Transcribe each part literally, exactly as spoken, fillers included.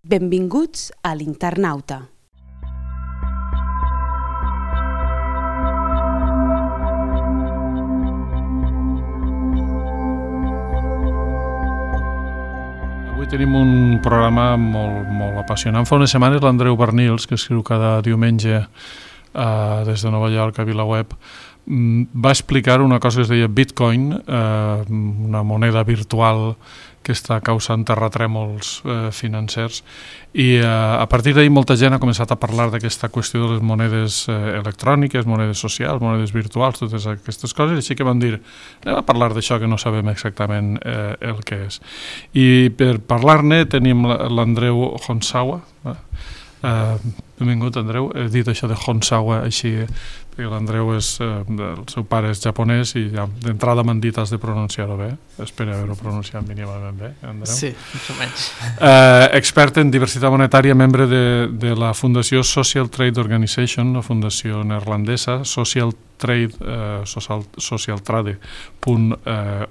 Benvinguts a l'Internauta. Avui tenim un programa molt, molt apassionant. Fa unes setmanes l'Andreu Barnils, que escriu cada diumenge eh, des de Nova York a VilaWeb, va explicar una cosa que es deia Bitcoin, eh, una moneda virtual que està causant terratrèmols eh, financers, i eh, a partir d'ahir molta gent ha començat a parlar d'aquesta qüestió de les monedes eh, electròniques, monedes socials, monedes virtuals, totes aquestes coses, així que vam dir, anem a parlar d'això que no sabem exactament eh, el que és. I per parlar-ne tenim l'Andreu Honsawa. Eh? Uh, benvingut, Andreu. He dit això de Honsawa així perquè l'Andreu és, uh, el seu pare és japonès i ja, d'entrada m'han dit has de pronunciar-ho bé. Espero haver-ho pronunciat mínimament bé, Andreu. Sí, més o menys. Uh, expert en diversitat monetària, membre de, de la Fundació Social Trade Organization, una fundació neerlandesa, Social Trade, uh, social, socialtrade punt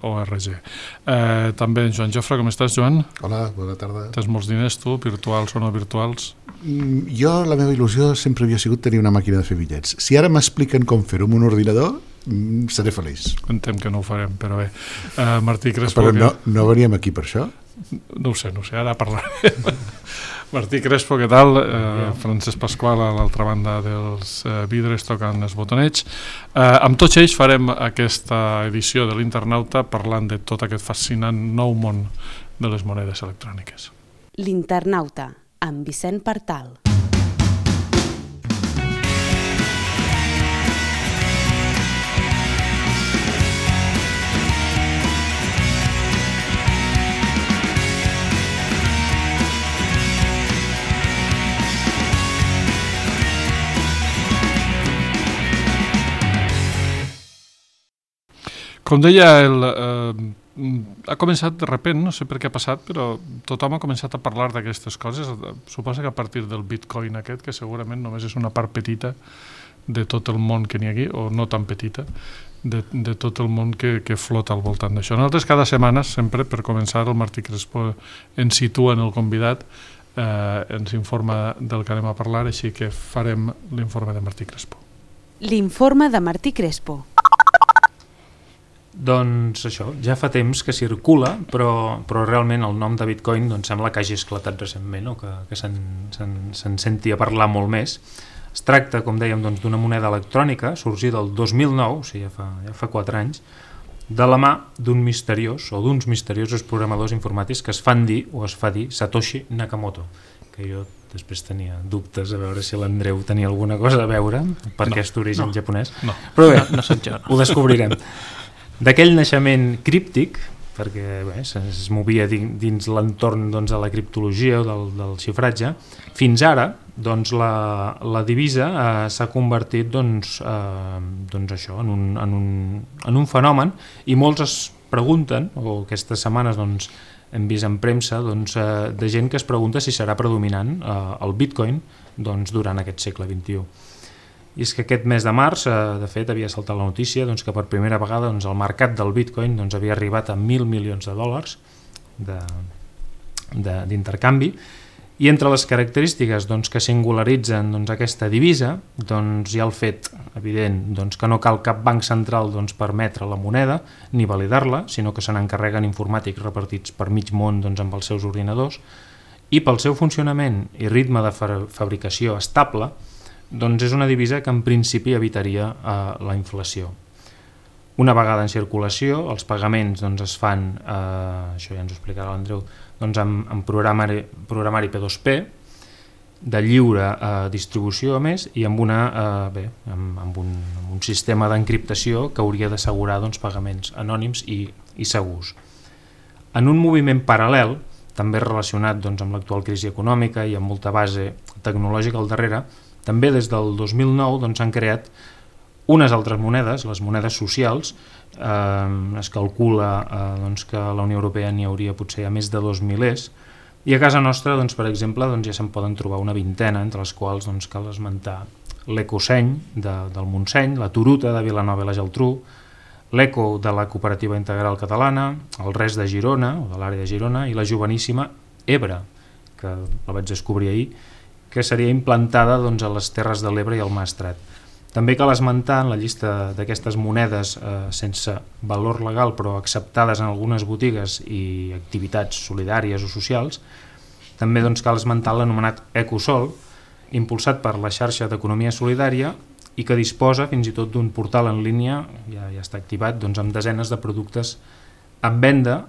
org. Uh, també en Joan Jofre, com estàs, Joan? Hola, bona tarda. Tens molts diners, tu, virtuals o no virtuals? Mm, jo, la meva il·lusió sempre havia sigut tenir una màquina de fer bitllets. Si ara m'expliquen com fer-ho amb un ordinador, mm, seré feliç. Entenc que no ho farem, però bé. Uh, Martí Crespo... Però no, que... no veníem aquí per això? No ho sé, no ho sé, ara parlarem. Martí Crespo, què tal? Uh, Francesc Pasqual a l'altra banda dels uh, vidres tocant els botonets. Uh, amb tots ells farem aquesta edició de l'Internauta parlant de tot aquest fascinant nou món de les monedes electròniques. L'Internauta, amb Vicent Partal. Com deia, el, eh, ha començat de repent, no sé per què ha passat, però tothom ha començat a parlar d'aquestes coses. Suposa que a partir del Bitcoin aquest, que segurament només és una part petita de tot el món que n'hi ha aquí, o no tan petita, de, de tot el món que, que flota al voltant d'això. Nosaltres cada setmana, sempre per començar, el Martí Crespo ens situa en el convidat, eh, ens informa del que anem a parlar, així que farem l'informe de Martí Crespo. L'informe de Martí Crespo. Doncs això, ja fa temps que circula, però, però realment el nom de Bitcoin doncs, sembla que hagi esclatat recentment, o que, que se'n, se'n, se'n senti a parlar molt més. Es tracta, com dèiem, doncs, d'una moneda electrònica sorgida el dos mil nou, o sigui, ja fa, ja fa quatre anys, de la mà d'un misteriós o d'uns misteriosos programadors informàtics que es fan dir, o es fa dir, Satoshi Nakamoto, que jo després tenia dubtes a veure si l'Andreu tenia alguna cosa a veure per no, aquest origen no, japonès. No, però bé, no, no soc jo. No. Ho descobrirem. D'aquell naixement críptic, perquè bé, es movia dins l'entorn doncs, de la criptologia o del, del xifratge, fins ara doncs, la, la divisa eh, s'ha convertit doncs, eh, doncs això, en, un, en, un, en un fenomen, i molts es pregunten, o aquestes setmanes doncs, hem vist en premsa doncs, eh, de gent que es pregunta si serà predominant eh, el Bitcoin doncs, durant aquest segle vint-i-u. I és que aquest mes de març, eh, de fet, havia saltat la notícia doncs, que per primera vegada doncs, el mercat del Bitcoin doncs, havia arribat a mil milions de dòlars de, de, d'intercanvi, i entre les característiques doncs, que singularitzen doncs, aquesta divisa doncs, hi ha el fet evident doncs, que no cal cap banc central doncs, per emetre la moneda ni validar-la, sinó que se n'encarreguen informàtics repartits per mig món doncs, amb els seus ordinadors, i pel seu funcionament i ritme de fa- fabricació estable, doncs és una divisa que en principi evitaria eh, la inflació. Una vegada en circulació, els pagaments doncs, es fan, eh, això ja ens ho explicarà l'Andreu, doncs, amb, amb programari, programari P dos P, de lliure eh, distribució a més, i amb, una, eh, bé, amb, amb, un, amb un sistema d'encriptació que hauria d'assegurar doncs, pagaments anònims i, i segurs. En un moviment paral·lel, també relacionat doncs, amb l'actual crisi econòmica i amb molta base tecnològica al darrere, també des del dos mil nou doncs, s'han creat unes altres monedes, les monedes socials. Eh, es calcula eh, doncs, que a la Unió Europea n'hi hauria potser a més de dos milers, i a casa nostra, doncs, per exemple, doncs, ja se'n poden trobar una vintena, entre les quals doncs, cal esmentar l'Ecoseny de, del Montseny, la Turuta de Vilanova i la Geltrú, l'Eco de la Cooperativa Integral Catalana, el Res de Girona, o de l'àrea de Girona, i la joveníssima Ebre, que la vaig descobrir ahir, que seria implantada doncs, a les Terres de l'Ebre i al Maestrat. També cal esmentar en la llista d'aquestes monedes eh, sense valor legal però acceptades en algunes botigues i activitats solidàries o socials, també doncs, cal esmentar l'anomenat Ecosol, impulsat per la xarxa d'economia solidària i que disposa fins i tot d'un portal en línia, ja, ja està activat, doncs, amb desenes de productes en venda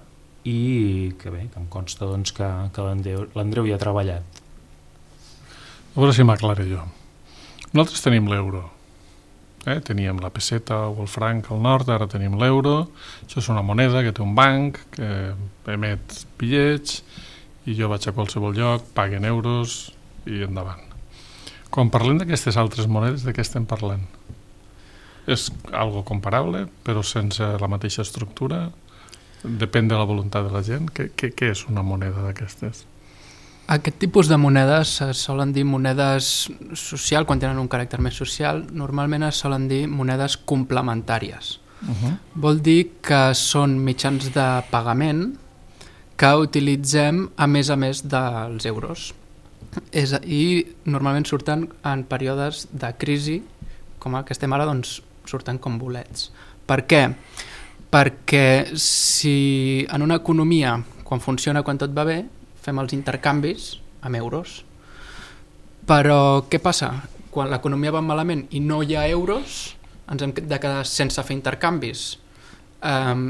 i que bé, que em consta doncs, que, que l'Andreu hi ha treballat. A veure si m'aclaré jo. Nosaltres tenim l'euro. Eh? Teníem la peseta o el franc al nord, ara tenim l'euro. Això és una moneda que té un banc, que emet bitllets, i jo vaig a qualsevol lloc, paguen euros i endavant. Quan parlem d'aquestes altres monedes, de què estem parlant? És algo comparable, però sense la mateixa estructura? Depèn de la voluntat de la gent? Què, què, què és una moneda d'aquestes? Aquest tipus de monedes es solen dir monedes social, quan tenen un caràcter més social, normalment es solen dir monedes complementàries. Uh-huh. Vol dir que són mitjans de pagament que utilitzem a més a més dels euros. És, I normalment surten en períodes de crisi, com el que estem ara, doncs surten com bolets. Per què? Perquè si en una economia, quan funciona, quan tot va bé, fem els intercanvis amb euros. Però què passa? Quan l'economia va malament i no hi ha euros, ens hem de quedar sense fer intercanvis. Um,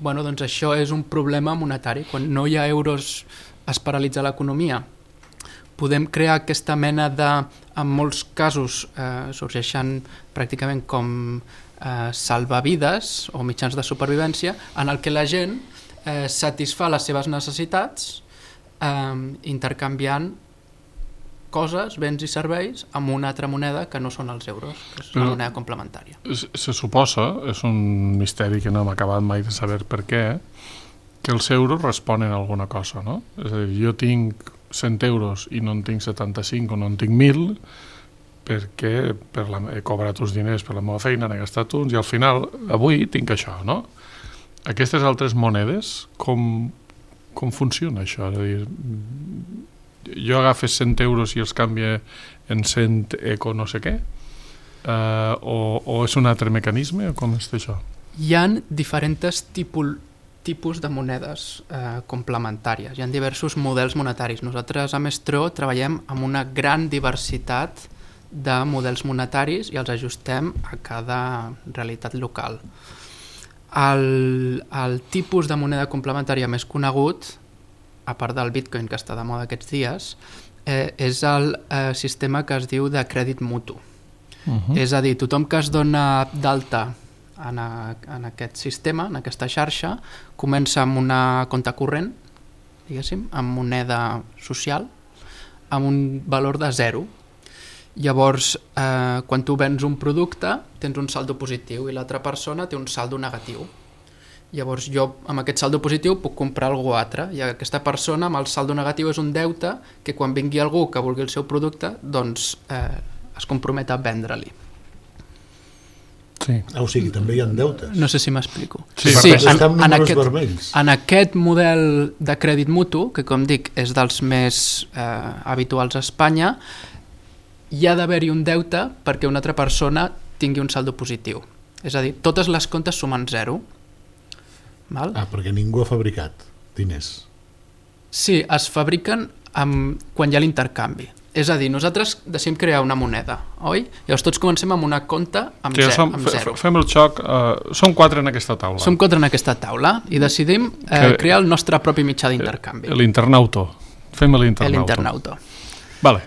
bueno, doncs això és un problema monetari. Quan no hi ha euros es paralitza l'economia. Podem crear aquesta mena de, en molts casos eh, sorgeixen pràcticament com eh, salvavides o mitjans de supervivència en el que la gent eh, satisfà les seves necessitats eh, intercanviant coses, béns i serveis amb una altra moneda que no són els euros, que és una moneda complementària. Se suposa, és un misteri que no hem acabat mai de saber per què, que els euros responen a alguna cosa, no? És a dir, jo tinc cent euros i no en tinc setanta-cinc o no en tinc mil perquè per la, he cobrat uns diners per la meva feina, n'he gastat uns i al final, avui tinc això, no? Aquestes altres monedes, com, com funciona això? És a dir, jo agafes cent euros i els canvia en cent eco no sé què? Uh, o, o és un altre mecanisme? Com és això? Hi ha diferents tipus tipus de monedes eh, complementàries. Hi ha diversos models monetaris. Nosaltres a Mestro treballem amb una gran diversitat de models monetaris i els ajustem a cada realitat local. El, el tipus de moneda complementària més conegut, a part del Bitcoin que està de moda aquests dies, eh, és el eh, sistema que es diu de crèdit mutu. Uh-huh. És a dir, tothom que es dona d'alta En, a, en aquest sistema, en aquesta xarxa, comença amb una compte corrent, diguéssim, amb moneda social, amb un valor de zero. Llavors, eh, quan tu vens un producte, tens un saldo positiu i l'altra persona té un saldo negatiu. Llavors, jo amb aquest saldo positiu puc comprar algú altre i aquesta persona amb el saldo negatiu és un deute que quan vingui algú que vulgui el seu producte, doncs eh, es compromet a vendre-li. Sí. Ah, o sigui, també hi ha deutes. No sé si m'explico. Sí, sí, en, en, aquest, en aquest model de crèdit mutu, que com dic és dels més eh, habituals a Espanya, hi ha d'haver-hi un deute perquè una altra persona tingui un saldo positiu. És a dir, totes les comptes sumen zero. Val? Ah, perquè ningú ha fabricat diners. Sí, es fabriquen amb, quan hi ha l'intercanvi. És a dir, nosaltres decidim crear una moneda, oi? Llavors tots comencem amb una compta amb, sí, som, amb zero. Fem el xoc, uh, som quatre en aquesta taula. Som quatre en aquesta taula i decidim eh, crear el nostre propi mitjà d'intercanvi. L'internauto. Fem l'internauto. L'internauto. Vale.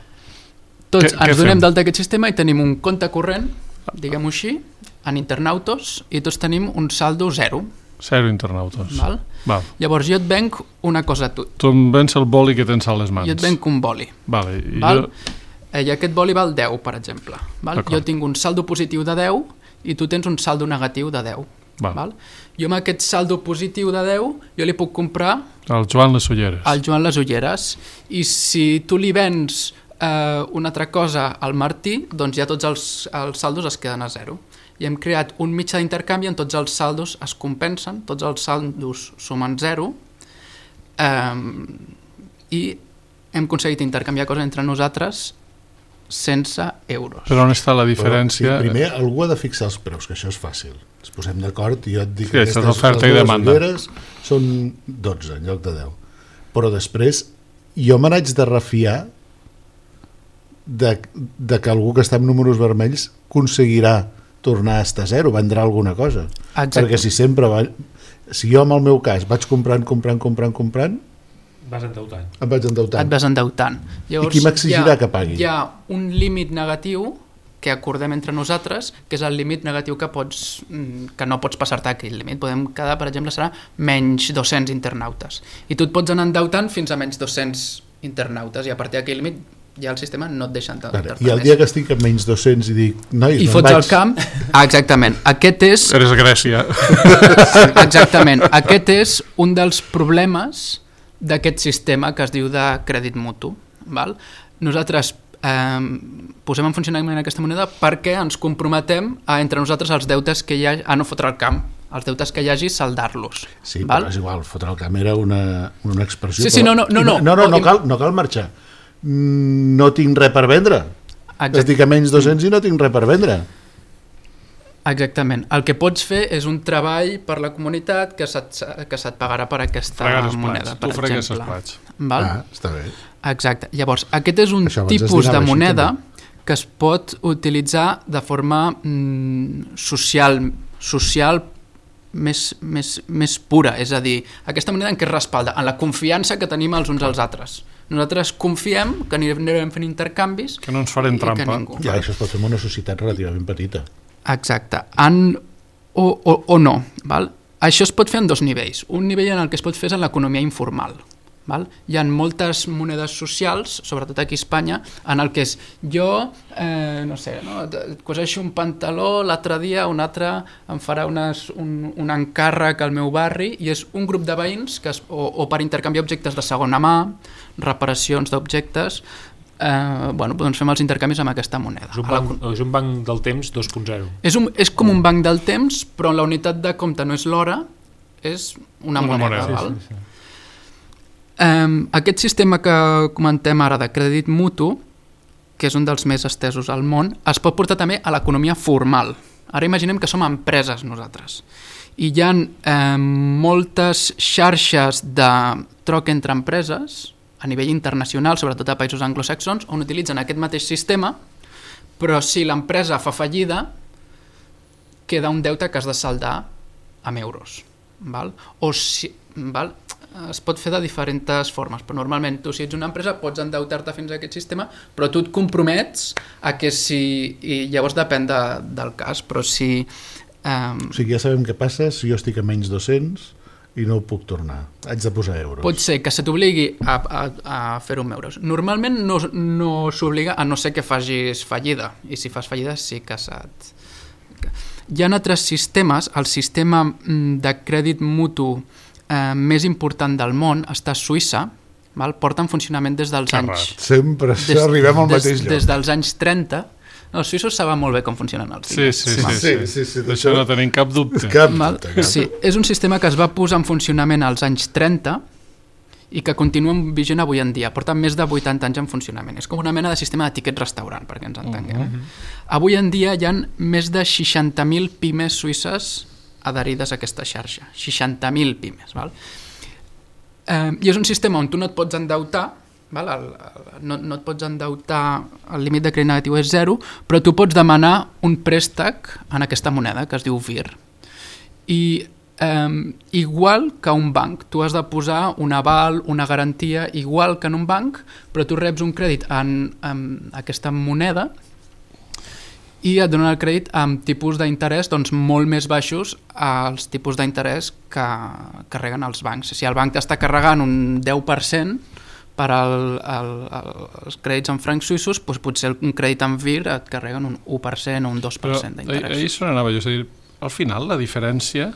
Tots què, ens què donem d'alta aquest sistema i tenim un compte corrent, diguem-ho així, en internautos, i tots tenim un saldo zero. Zero internautos. Val? Val. Llavors jo et venc una cosa a tu. Tu em vens el boli que tens a les mans. Jo et venc un boli. Vale. I, val? jo... I aquest boli val deu, per exemple. Val? Jo tinc un saldo positiu de deu i tu tens un saldo negatiu de deu. Val. Val? Jo amb aquest saldo positiu de deu jo li puc comprar al Joan les ulleres. Al Joan les ulleres. I si tu li vens eh, una altra cosa al Martí, doncs ja tots els, els saldos es queden a zero. I hem creat un mitjà d'intercanvi on tots els saldos es compensen, tots els saldos sumen zero, eh, i hem aconseguit intercanviar coses entre nosaltres sense euros. Però on està la diferència? Però, sí, primer, algú ha de fixar els preus, que això és fàcil. Ens posem d'acord i jo et dic sí, que aquestes oferta i demanda. Són dotze en lloc de deu. Però després jo me n'haig de refiar de, de que algú que està amb números vermells aconseguirà tornar a estar a zero, vendrà alguna cosa. Exacte. Perquè si sempre va... Si jo, en el meu cas, vaig comprant, comprant, comprant, comprant... Vas endeutant. Em vaig endeutant. Et vas endeutant. Llavors, I qui m'exigirà que pagui? Hi ha un límit negatiu que acordem entre nosaltres, que és el límit negatiu que pots que no pots passar-te aquell límit. Podem quedar, per exemple, serà menys dos-cents internautes. I tu et pots anar endeutant fins a menys dos-cents internautes, i a partir d'aquell límit ja el sistema no et deixa endeutar-te més. I el dia que estic a menys dos-cents i dic... Nois, I fots el camp... Ah, exactament. Aquest és... Eres Grècia. Sí, exactament. Aquest és un dels problemes d'aquest sistema que es diu de crèdit mutu. Val? Nosaltres eh, posem en funcionament aquesta moneda perquè ens comprometem a, entre nosaltres, els deutes que hi ha, a no fotre el camp, els deutes que hi hagi, saldar-los. Sí, val? però és igual, fotre el camp era una, una expressió... Sí, sí, no, no, no, no, no, no, no, cal, no cal marxar. No tinc res per vendre. Exacte. Estic a menys dos-cents i no tinc res per vendre. Exactament. El que pots fer és un treball per la comunitat que se't, que se't pagarà per aquesta moneda, per exemple. Val? Ah, està bé. Exacte. Llavors, aquest és un tipus de moneda que es pot utilitzar de forma mm, social, social més, més, més pura. És a dir, aquesta moneda en què es respalda? En la confiança que tenim els uns als altres. Nosaltres confiem que anirem fent intercanvis, que no ens farem trampa. Ningú... Ja, això es pot fer en una societat relativament petita. Exacte. En... O, o, o no. Val? Això es pot fer en dos nivells. Un nivell en el que es pot fer és en l'economia informal. Val? Hi ha moltes monedes socials, sobretot aquí a Espanya, en el que és jo, eh, no sé, no? Coseixo un pantaló, l'altre dia un altre em farà unes, un, un encàrrec al meu barri, i és un grup de veïns que es, o, o per intercanviar objectes de segona mà, reparacions d'objectes, eh, bueno, doncs fem els intercanvis amb aquesta moneda. És un banc, la... és un banc del temps dos punt zero. És, un, és com un banc del temps, però la unitat de compte no és l'hora, és una, una moneda. moneda. Val? Sí, sí, sí. Um, aquest sistema que comentem ara de crèdit mutu, que és un dels més estesos al món, es pot portar també a l'economia formal. Ara imaginem que som empreses nosaltres i hi ha eh, moltes xarxes de troc entre empreses a nivell internacional, sobretot a països anglosaxons, on utilitzen aquest mateix sistema, però si l'empresa fa fallida queda un deute que has de saldar amb euros, val? O si, val? Es pot fer de diferents formes, però normalment tu, si ets una empresa, pots endeutar-te fins a aquest sistema, però tu et compromets a que si... I llavors depèn de, del cas, però si... Um... O sigui, ja sabem què passa si jo estic a menys dos-cents i no ho puc tornar. Haig de posar euros. Pot ser que se t'obligui a, a, a fer-ho amb euros. Normalment no, no s'obliga, a no ser que facis fallida, i si fas fallida sí que se't... Hi ha altres sistemes, el sistema de crèdit mutu Eh, més important del món està a Suïssa, val? Porta en funcionament des dels Carrat. anys... Sempre des, arribem al mateix des, lloc. Des dels anys trenta. No, els suïssos saben molt bé com funcionen els diners. Sí, sí, sí. sí, sí, sí. D'això no tenim cap dubte. Cap dubte cap. Sí, és un sistema que es va posar en funcionament als anys trenta i que continua vigent avui en dia. Porta més de vuitanta anys en funcionament. És com una mena de sistema de tiquet restaurant, perquè ens entenguem. Uh -huh. Avui en dia hi ha més de seixanta mil pimes suïsses adherides a aquesta xarxa, seixanta mil pimes. Val? Eh, I és un sistema on tu no et pots endeutar, val? El, el, no, no et pots endeutar, el límit de crèdit negatiu és zero, però tu pots demanar un préstec en aquesta moneda, que es diu V I R. I eh, igual que un banc, tu has de posar un aval, una garantia, igual que en un banc, però tu reps un crèdit en, en aquesta moneda i et donen el crèdit amb tipus d'interès doncs, molt més baixos als tipus d'interès que carreguen els bancs. Si el banc t'està carregant un deu per cent per al, al, als crèdits en francs suïssos, doncs potser un crèdit en V I R et carreguen un u per cent o un dos per cent d'interès. Però ahir se n'anava jo, és a dir, al final la diferència,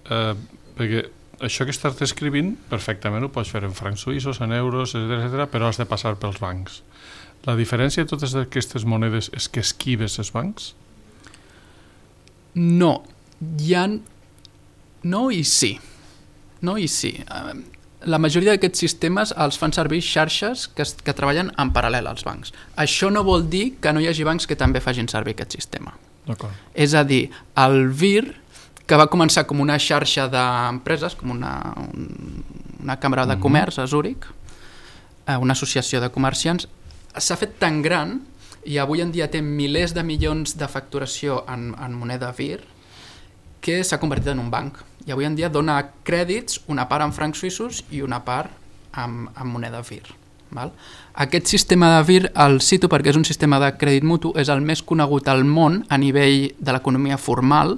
eh, perquè això que estàs descrivint perfectament ho pots fer en francs suïssos, en euros, etcètera, però has de passar pels bancs. La diferència de totes aquestes monedes és que esquives els bancs? No, hi ha... No i sí. No i sí. la majoria d'aquests sistemes els fan servir xarxes que, que treballen en paral·lel als bancs. Això no vol dir que no hi hagi bancs que també facin servir aquest sistema. És a dir, el V I R, que va començar com una xarxa d'empreses, com una, un, una càmera de comerç a Zúrich, una associació de comerciants, s'ha fet tan gran i avui en dia té milers de milions de facturació en, en moneda V I R que s'ha convertit en un banc. I avui en dia dona crèdits, una part en francs suïssos i una part en, en moneda V I R. Val? Aquest sistema de V I R el cito perquè és un sistema de crèdit mutu, és el més conegut al món a nivell de l'economia formal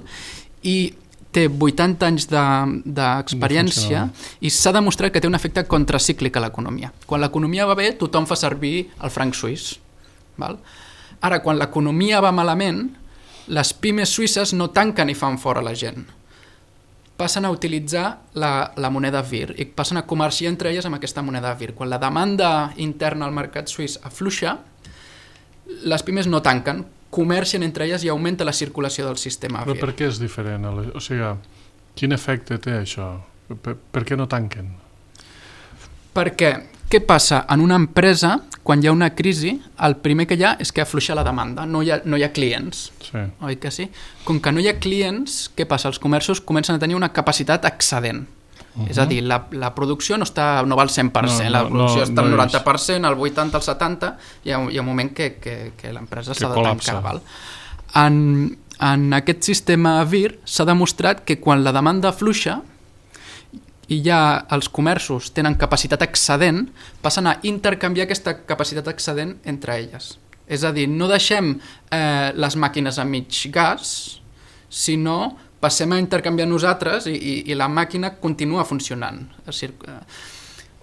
i té vuitanta anys d'experiència de, i s'ha demostrat que té un efecte contracíclic a l'economia. Quan l'economia va bé, tothom fa servir el franc suís. Val? Ara, quan l'economia va malament, les pimes suïsses no tanquen i fan fora la gent. Passen a utilitzar la, la moneda V I R i passen a comerciar entre elles amb aquesta moneda V I R. Quan la demanda interna al mercat suís afluixa, les pimes no tanquen, comercien entre elles i augmenta la circulació del sistema V I R. Però per què és diferent? O sigui, quin efecte té això? Per, per què no tanquen? Perquè, què passa? En una empresa, quan hi ha una crisi, el primer que hi ha és que afluixa la demanda, no hi ha, no hi ha clients. Sí. Oi que sí? Com que no hi ha clients, què passa? Els comerços comencen a tenir una capacitat excedent. Uh -huh. És a dir, la, la producció no, està, no va al cent per cent, no, no, la producció no, està al no noranta per cent, al vuitanta per cent, al setanta per cent, hi ha, hi ha un moment que, que, que l'empresa s'ha de tancar. Val? En, en aquest sistema V I R s'ha demostrat que quan la demanda afluixa i ja els comerços tenen capacitat excedent, passen a intercanviar aquesta capacitat excedent entre elles. És a dir, no deixem eh, les màquines a mig gas, sinó passem a intercanviar nosaltres i, i, i la màquina continua funcionant. És dir, eh,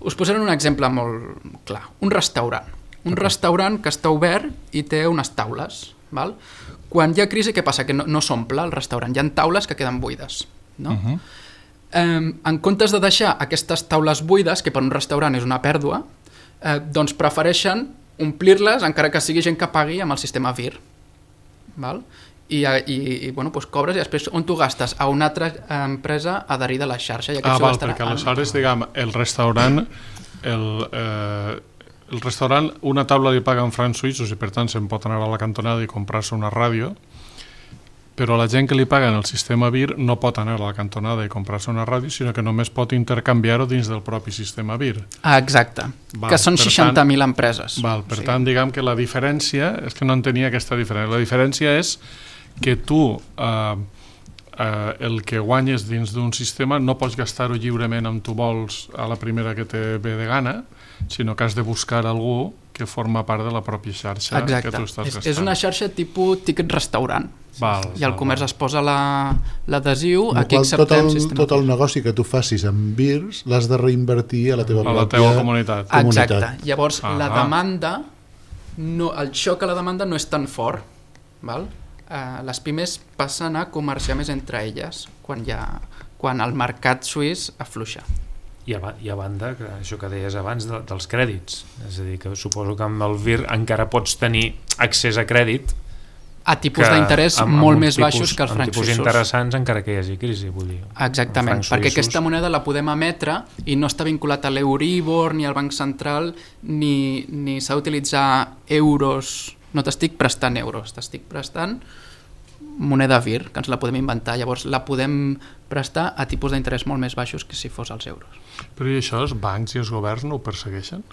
us posaré un exemple molt clar. Un restaurant. Un okay. restaurant que està obert i té unes taules. Val? Quan hi ha crisi, què passa? Que no, no s'omple el restaurant. Hi ha taules que queden buides. No? Uh -huh. eh, en comptes de deixar aquestes taules buides, que per un restaurant és una pèrdua, eh, doncs prefereixen omplir-les encara que sigui gent que pagui amb el sistema V I R. Val? I, i, i bueno, doncs cobres i després on tu gastes? A una altra empresa adherida a la xarxa. I ah, val, perquè aleshores, diguem, el restaurant el, eh, el restaurant una taula li paga en francs suïssos i per tant se'n pot anar a la cantonada i comprar-se una ràdio, però la gent que li paga en el sistema V I R no pot anar a la cantonada i comprar-se una ràdio, sinó que només pot intercanviar-ho dins del propi sistema V I R. Ah, exacte, val, que són seixanta mil empreses. Val, per sí. tant, diguem que la diferència, és que no entenia aquesta diferència, la diferència és que tu eh, eh, el que guanyes dins d'un sistema no pots gastar-ho lliurement amb tu vols a la primera que te ve de gana, sinó que has de buscar algú que forma part de la pròpia xarxa. Exacte. Que tu estàs és, gastant. És una xarxa tipus tiquet restaurant. Val, i el val, comerç val. es posa l'adhesiu, la, aquí acceptem tot el, sistema. tot el negoci que tu facis amb V I Rs l'has de reinvertir a la teva, a la teva comunitat. Exacte. comunitat. Llavors, ah la demanda, no, el xoc a la demanda no és tan fort. Val? Uh, les pimes passen a comerciar més entre elles quan, hi ha, quan el mercat suís afluixa. I a, i a banda, que això que deies abans de, dels crèdits, és a dir, que suposo que amb el V I R encara pots tenir accés a crèdit a tipus d'interès molt més tipus, baixos que els francs suïssos. Amb tipus interessants encara que hi hagi crisi, vull dir. Exactament, perquè aquesta moneda la podem emetre i no està vinculat a l'Euribor ni al Banc Central, ni, ni s'ha d'utilitzar euros. No t'estic prestant euros, t'estic prestant moneda V I R, que ens la podem inventar. Llavors la podem prestar a tipus d'interès molt més baixos que si fos els euros. Però i això els bancs i els governs no ho persegueixen?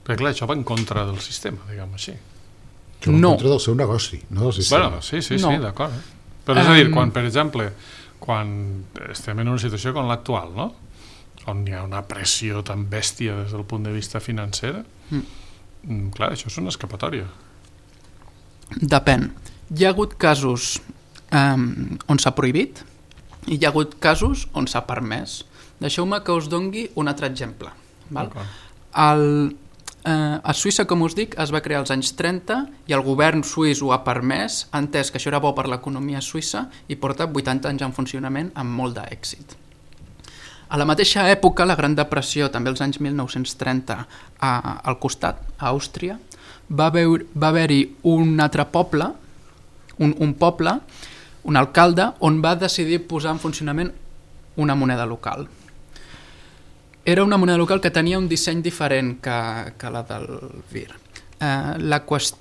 Perquè clar, això va en contra del sistema, diguem així. Això va en no. contra del seu negoci, no del sistema. Bueno, sí, sí, no. sí, d'acord. Eh? Però és a dir, quan, per exemple, quan estem en una situació com l'actual, no? On hi ha una pressió tan bèstia des del punt de vista financer, mm. clar, això és una escapatòria. Depèn. Hi ha hagut casos um, on s'ha prohibit i hi ha hagut casos on s'ha permès. Deixeu-me que us dongui un altre exemple. Val? El, eh, a Suïssa, com us dic, es va crear als anys trenta i el govern suís ho ha permès, ha entès que això era bo per l'economia suïssa i porta vuitanta anys en funcionament amb molt d'èxit. A la mateixa època, la Gran Depressió, també als anys mil nou-cents trenta, a, al costat, a Àustria, va haver, va haver-hi un altre poble, un, un poble, un alcalde, on va decidir posar en funcionament una moneda local. Era una moneda local que tenia un disseny diferent que, que la del V I R. Eh, la, qüest...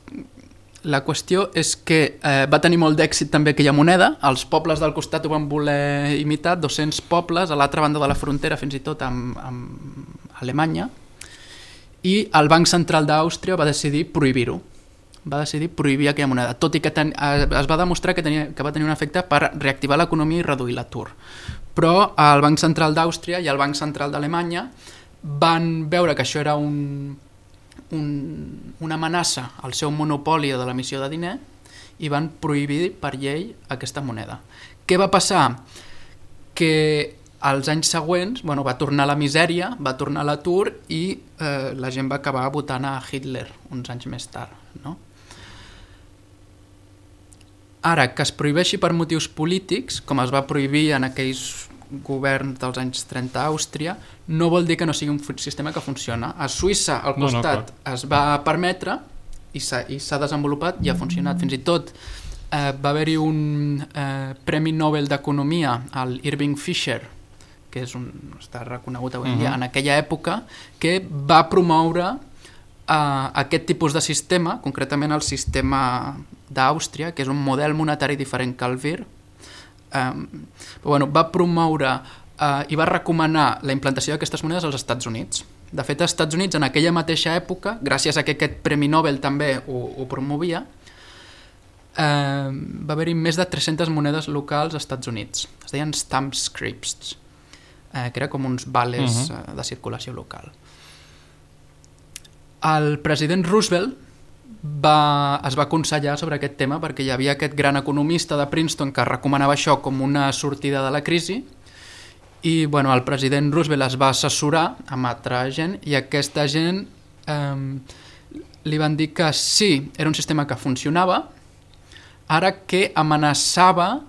la qüestió és que eh, va tenir molt d'èxit també aquella moneda, els pobles del costat ho van voler imitar, dos-cents pobles a l'altra banda de la frontera, fins i tot amb, amb Alemanya, i el Banc Central d'Àustria va decidir prohibir-ho, va decidir prohibir aquella moneda, tot i que ten... es va demostrar que, tenia... que va tenir un efecte per reactivar l'economia i reduir l'atur. Però el Banc Central d'Àustria i el Banc Central d'Alemanya van veure que això era un, un, una amenaça al seu monopoli de l'emissió de diner i van prohibir per llei aquesta moneda. Què va passar? Que als anys següents bueno, va tornar la misèria, va tornar l'atur i eh, la gent va acabar votant a Hitler uns anys més tard. No? Ara, que es prohibeixi per motius polítics, com es va prohibir en aquells governs dels anys trenta a Àustria, no vol dir que no sigui un sistema que funciona. A Suïssa, al costat, no, no, es va permetre i s'ha desenvolupat i ha funcionat. Fins i tot eh, va haver-hi un eh, Premi Nobel d'Economia, el Irving Fisher, que és un, està reconegut avui en dia, uh-huh. en aquella època, que va promoure eh, aquest tipus de sistema, concretament el sistema d'Àustria, que és un model monetari diferent que el V I R, eh, però, bueno, va promoure eh, i va recomanar la implantació d'aquestes monedes als Estats Units. De fet, als Estats Units, en aquella mateixa època, gràcies a que aquest Premi Nobel també ho, ho promovia, eh, va haver-hi més de tres-centes monedes locals als Estats Units. Es deien stamp scripts, eh, que era com uns vales uh-huh. eh, de circulació local. El president Roosevelt va, es va aconsellar sobre aquest tema perquè hi havia aquest gran economista de Princeton que recomanava això com una sortida de la crisi i bueno, el president Roosevelt es va assessorar amb altra gent i aquesta gent eh, li van dir que sí, era un sistema que funcionava, ara que amenaçava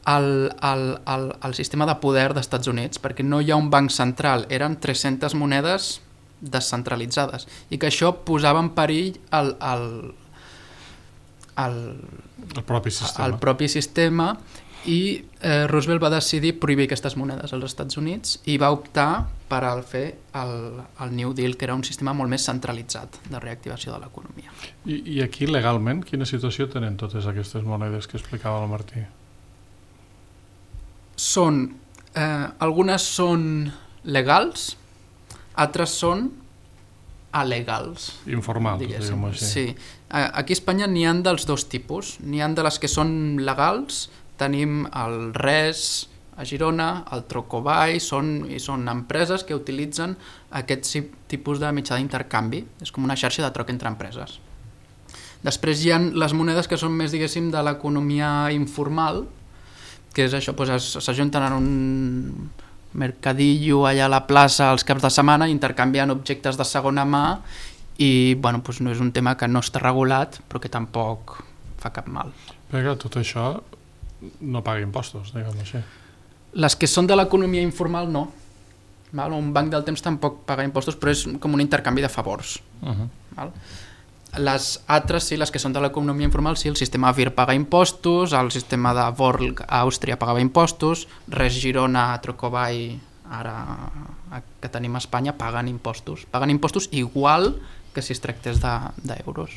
el, el, el, el sistema de poder dels Estats Units, perquè no hi ha un banc central, eren tres-centes monedes descentralitzades, i que això posava en perill el, el, el, el, propi, sistema. el propi sistema i eh, Roosevelt va decidir prohibir aquestes monedes als Estats Units i va optar per al fer el, el New Deal, que era un sistema molt més centralitzat de reactivació de l'economia. I, I aquí legalment quina situació tenen totes aquestes monedes que explicava el Martí? Són, eh, algunes són legals, altres són alegals. Informals, diguem-ho així. Sí. Aquí a Espanya n'hi ha dels dos tipus. N'hi ha de les que són legals, tenim el Res a Girona, el Trocobay, són, i són empreses que utilitzen aquest tipus de mitjà d'intercanvi. És com una xarxa de troc entre empreses. Després hi ha les monedes que són més, diguéssim, de l'economia informal, que és això, doncs s'ajunten en un mercadillo allà a la plaça els caps de setmana intercanviant objectes de segona mà i bueno, doncs no és un tema que no està regulat però que tampoc fa cap mal. Perquè tot això no paga impostos, diguem-ho així. Les que són de l'economia informal no. Val? Un banc del temps tampoc paga impostos però és com un intercanvi de favors. Uh-huh. Val? Les altres, sí, les que són de l'economia informal, sí, el sistema V I R paga impostos, el sistema de Vorl a Àustria pagava impostos, Res Girona, Trocobay, ara que tenim a Espanya, paguen impostos. Paguen impostos igual que si es tractés d'euros.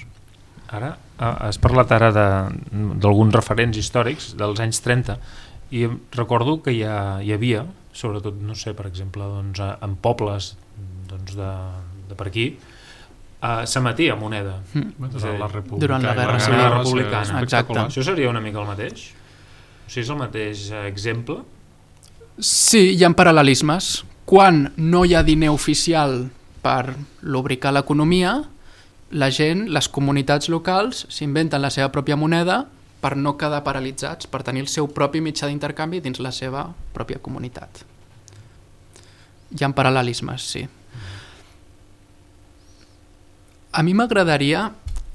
Ara, has parlat ara d'alguns referents històrics dels anys trenta i recordo que hi, ha, hi havia, sobretot, no sé, per exemple, doncs, en pobles doncs, de, de per aquí, Uh, s'emetia moneda mm. la durant la guerra civil republicana. Exacte. Això seria una mica el mateix? O sigui, és el mateix exemple? Sí, hi ha paral·lelismes. Quan no hi ha diner oficial per lubricar l'economia, la gent, les comunitats locals s'inventen la seva pròpia moneda per no quedar paralitzats, per tenir el seu propi mitjà d'intercanvi dins la seva pròpia comunitat. Hi ha paral·lelismes, sí. A mi m'agradaria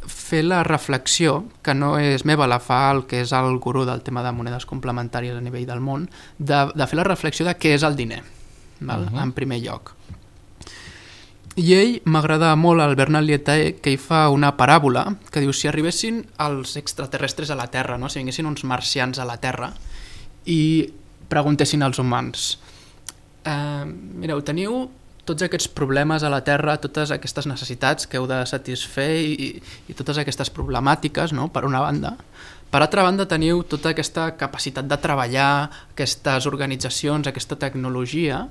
fer la reflexió, que no és meva, la fa el que és el gurú del tema de monedes complementàries a nivell del món, de, de fer la reflexió de què és el diner, val? Uh-huh. En primer lloc. I ell m'agrada molt, el Bernard Lietaer, que hi fa una paràbola que diu si arribessin els extraterrestres a la Terra, no? Si vinguessin uns marcians a la Terra i preguntessin als humans eh, mireu, teniu tots aquests problemes a la Terra, totes aquestes necessitats que heu de satisfer i, i totes aquestes problemàtiques, no?, per una banda. Per altra banda, teniu tota aquesta capacitat de treballar, aquestes organitzacions, aquesta tecnologia,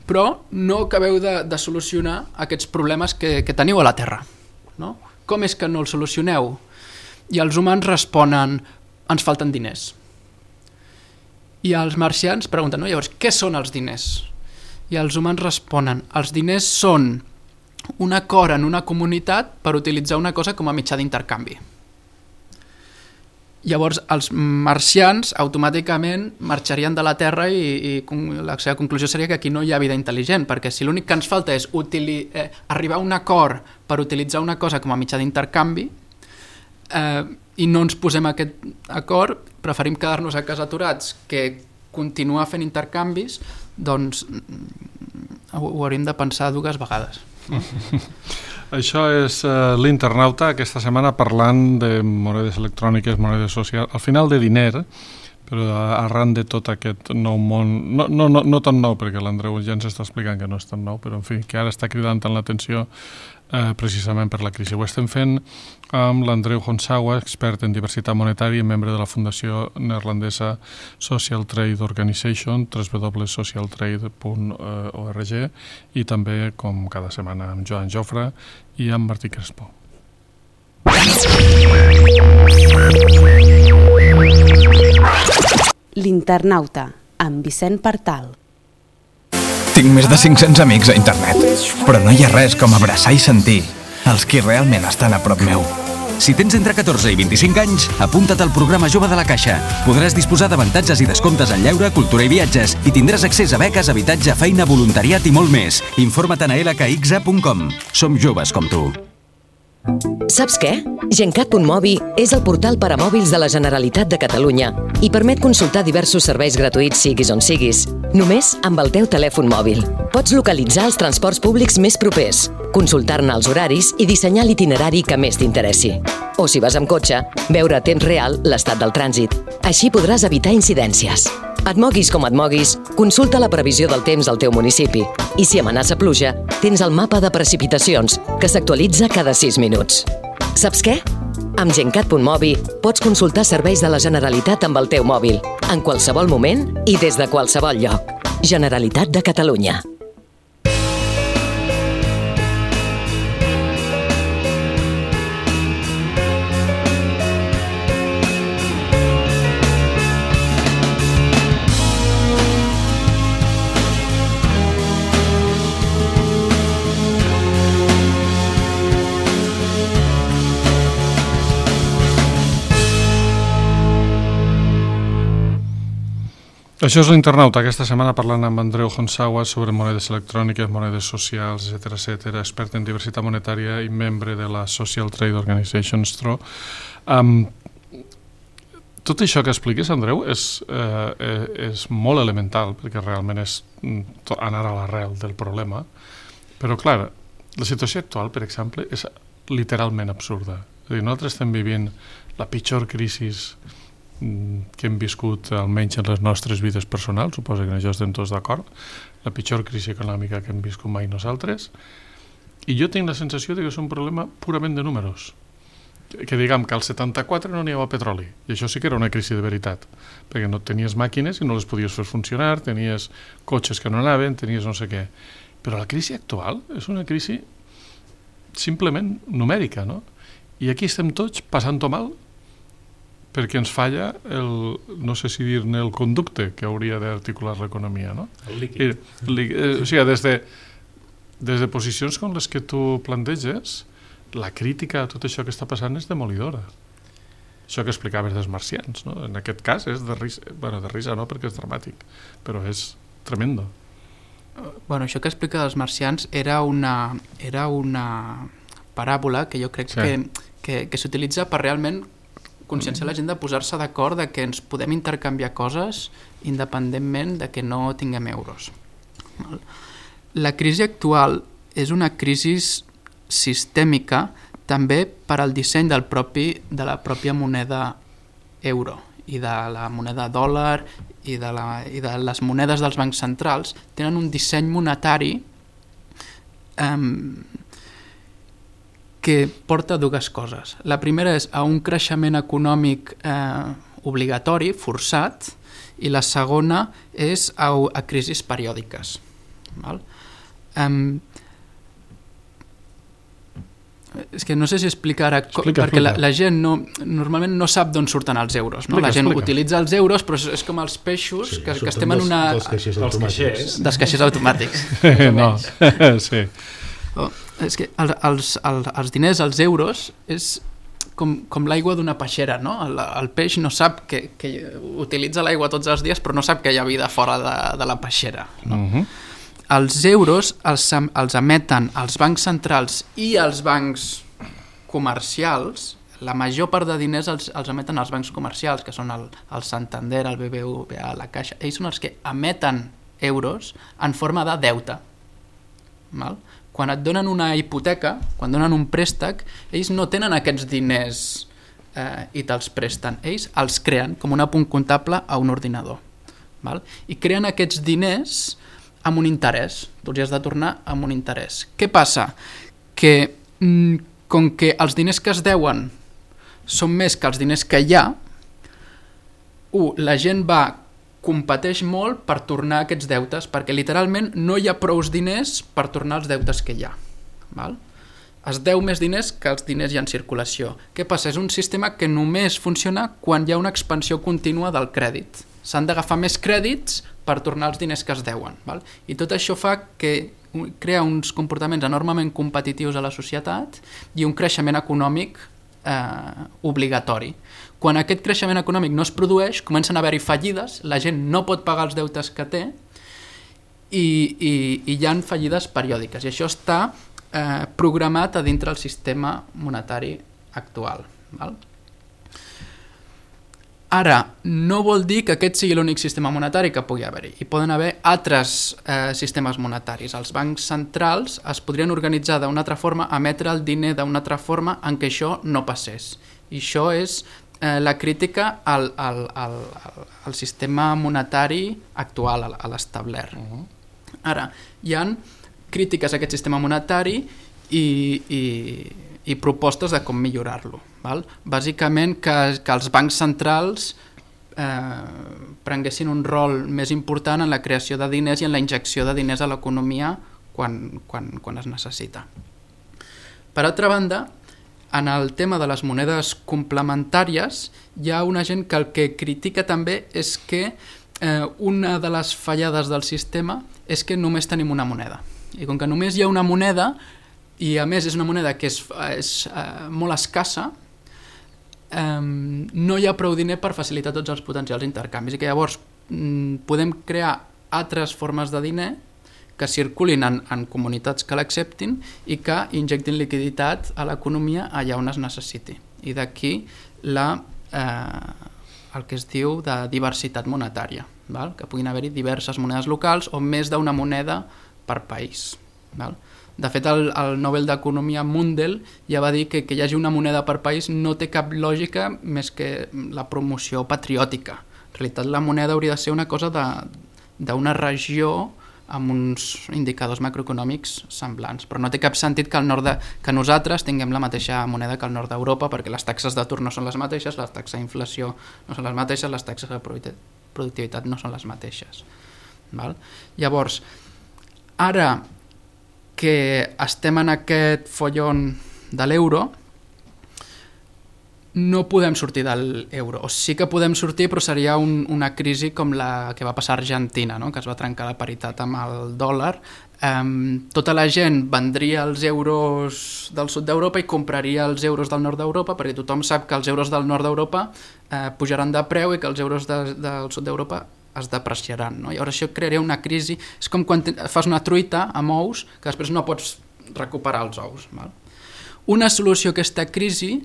però no acabeu de, de solucionar aquests problemes que, que teniu a la Terra, no? Com és que no els solucioneu? I els humans responen, ens falten diners. I els marcians pregunten, no, llavors, què són els diners? I els humans responen, els diners són un acord en una comunitat per utilitzar una cosa com a mitjà d'intercanvi. Llavors, els marcians automàticament marxarien de la Terra i, i la seva conclusió seria que aquí no hi ha vida intel·ligent, perquè si l'únic que ens falta és utili- eh, arribar a un acord per utilitzar una cosa com a mitjà d'intercanvi eh, i no ens posem aquest acord, preferim quedar-nos a casa aturats que continuar fent intercanvis, doncs ho, ho hauríem de pensar dues vegades. Això és uh, l'Internauta, aquesta setmana parlant de monedes electròniques, monedes socials, al final de diner, però arran de tot aquest nou món, no, no, no, no tan nou, perquè l'Andreu ja ens està explicant que no és tan nou, però en fi, que ara està cridant tant l'atenció eh, precisament per la crisi. Ho estem fent amb l'Andreu Honsawa, expert en diversitat monetària i membre de la fundació neerlandesa Social Trade Organization, w w w punt social trade punt org, i també, com cada setmana, amb Joan Jofre i amb Martí Crespo. L'Internauta, amb Vicent Partal. Tinc més de cinc-cents amics a internet, però no hi ha res com abraçar i sentir els qui realment estan a prop meu. Si tens entre catorze i vint-i-cinc anys, apunta't al programa Jove de la Caixa. Podràs disposar d'avantatges i descomptes en lleure, cultura i viatges i tindràs accés a beques, habitatge, feina, voluntariat i molt més. Informa't a l k x a punt com. Som joves com tu. Saps què? Gencat punt mobi és el portal per a mòbils de la Generalitat de Catalunya i permet consultar diversos serveis gratuïts siguis on siguis, només amb el teu telèfon mòbil. Pots localitzar els transports públics més propers, consultar-ne els horaris i dissenyar l'itinerari que més t'interessi. O si vas amb cotxe, veure a temps real l'estat del trànsit. Així podràs evitar incidències. Et moguis com et moguis, consulta la previsió del temps al teu municipi. I si amenaça pluja, tens el mapa de precipitacions, que s'actualitza cada sis minuts. Saps què? Amb Gencat punt mobi pots consultar serveis de la Generalitat amb el teu mòbil, en qualsevol moment i des de qualsevol lloc. Generalitat de Catalunya. Això és l'Internauta, aquesta setmana parlant amb Andreu Honsawa sobre monedes electròniques, monedes socials, etcètera, etcètera, expert en diversitat monetària i membre de la Social Trade Organization, S T R O. Um, tot això que expliques, Andreu, és, eh, és molt elemental, perquè realment és anar a l'arrel del problema, però clar, la situació actual, per exemple, és literalment absurda. És a dir, nosaltres estem vivint la pitjor crisi que hem viscut almenys en les nostres vides personals, suposo que en això estem tots d'acord, la pitjor crisi econòmica que hem viscut mai nosaltres, i jo tinc la sensació de que és un problema purament de números, que, que diguem que al setanta-quatre no n'hi havia petroli, i això sí que era una crisi de veritat, perquè no tenies màquines i no les podies fer funcionar, tenies cotxes que no anaven, tenies no sé què, però la crisi actual és una crisi simplement numèrica, no? I aquí estem tots passant-ho mal perquè ens falla el, no sé si dir-ne el conducte que hauria d'articular l'economia, no? El líquid. I, li, eh, o sigui, des de, des de posicions com les que tu planteges, la crítica a tot això que està passant és demolidora. Això que explicaves dels marcians, no? En aquest cas és de risa, bueno, de risa no, perquè és dramàtic, però és tremendo. Bueno, això que explica dels marcians era una, era una paràbola que jo crec sí. que, que, que s'utilitza per realment conscienciar la gent de posar-se d'acord de que ens podem intercanviar coses independentment de que no tinguem euros. La crisi actual és una crisi sistèmica també per al disseny del propi, de la pròpia moneda euro i de la moneda dòlar i de, la, i de les monedes dels bancs centrals tenen un disseny monetari eh, que porta dues coses. La primera és a un creixement econòmic eh, obligatori, forçat, i la segona és a, a crisis periòdiques. Val? Um, és que no sé si explicar ara, explica, perquè explica. La, la gent no, normalment no sap d'on surten els euros. No? Explica, la gent explica. utilitza els euros, però és, és com els peixos Sí, que, que surten estem en dels- una... dels caixers Dels automàtics. caixers. Dels caixers automàtics. No, sí. Oh, és que els, els, els, els diners, els euros, és com, com l'aigua d'una peixera, no? El, el peix no sap que, que utilitza l'aigua tots els dies, però no sap que hi ha vida fora de, de la peixera. No? Uh -huh. Els euros els, els emeten els bancs centrals i els bancs comercials. La major part de diners els, els emeten els bancs comercials, que són el, el Santander, el B B V A, la Caixa. Ells són els que emeten euros en forma de deute. Val? Quan et donen una hipoteca, quan donen un préstec, ells no tenen aquests diners eh, i te'ls presten. Ells els creen com un apunt comptable a un ordinador. Val? I creen aquests diners amb un interès. Tu els has de tornar amb un interès. Què passa? Que mm, com que els diners que es deuen són més que els diners que hi ha, u, la gent va competeix molt per tornar aquests deutes, perquè literalment no hi ha prous diners per tornar els deutes que hi ha. Val? Es deu més diners que els diners hi ha en circulació. Què passa? És un sistema que només funciona quan hi ha una expansió contínua del crèdit. S'han d'agafar més crèdits per tornar els diners que es deuen. Val? I tot això fa que crea uns comportaments enormement competitius a la societat i un creixement econòmic eh, obligatori. Quan aquest creixement econòmic no es produeix, comencen a haver-hi fallides, la gent no pot pagar els deutes que té i, i, i hi ha fallides periòdiques. I això està eh, programat a dintre del sistema monetari actual. Val? Ara, no vol dir que aquest sigui l'únic sistema monetari que pugui haver-hi. Hi poden haver altres eh, sistemes monetaris. Els bancs centrals es podrien organitzar d'una altra forma, emetre el diner d'una altra forma en què això no passés. I això és eh, la crítica al, al, al, al sistema monetari actual, a, a l'establert. Uh-huh. Ara, hi ha crítiques a aquest sistema monetari i... i i propostes de com millorar-lo. Val? Bàsicament que, que els bancs centrals eh, prenguessin un rol més important en la creació de diners i en la injecció de diners a l'economia quan, quan, quan es necessita. Per altra banda, en el tema de les monedes complementàries hi ha una gent que el que critica també és que eh, una de les fallades del sistema és que només tenim una moneda. I com que només hi ha una moneda, i a més és una moneda que és, és uh, molt escassa, um, no hi ha prou diner per facilitar tots els potencials intercanvis i que llavors um, podem crear altres formes de diner que circulin en, en comunitats que l'acceptin i que injectin liquiditat a l'economia allà on es necessiti. I d'aquí la, eh, el que es diu de diversitat monetària, val? Que puguin haver-hi diverses monedes locals o més d'una moneda per país. Val? De fet, el, el Nobel d'Economia Mundell ja va dir que que hi hagi una moneda per país no té cap lògica més que la promoció patriòtica. En realitat, la moneda hauria de ser una cosa d'una regió amb uns indicadors macroeconòmics semblants, però no té cap sentit que, al nord de, que nosaltres tinguem la mateixa moneda que al nord d'Europa, perquè les taxes d'atur no són les mateixes, les taxes d'inflació no són les mateixes, les taxes de productivitat no són les mateixes. Val? Llavors, ara que estem en aquest follon de l'euro, no podem sortir de l'euro. O sí que podem sortir, però seria un, una crisi com la que va passar a Argentina, no? Que es va trencar la paritat amb el dòlar. Um, tota la gent vendria els euros del sud d'Europa i compraria els euros del nord d'Europa, perquè tothom sap que els euros del nord d'Europa eh, pujaran de preu i que els euros de, del sud d'Europa es depreciaran, no? I llavors això crearia una crisi. És com quan fas una truita amb ous que després no pots recuperar els ous. Val? Una solució a aquesta crisi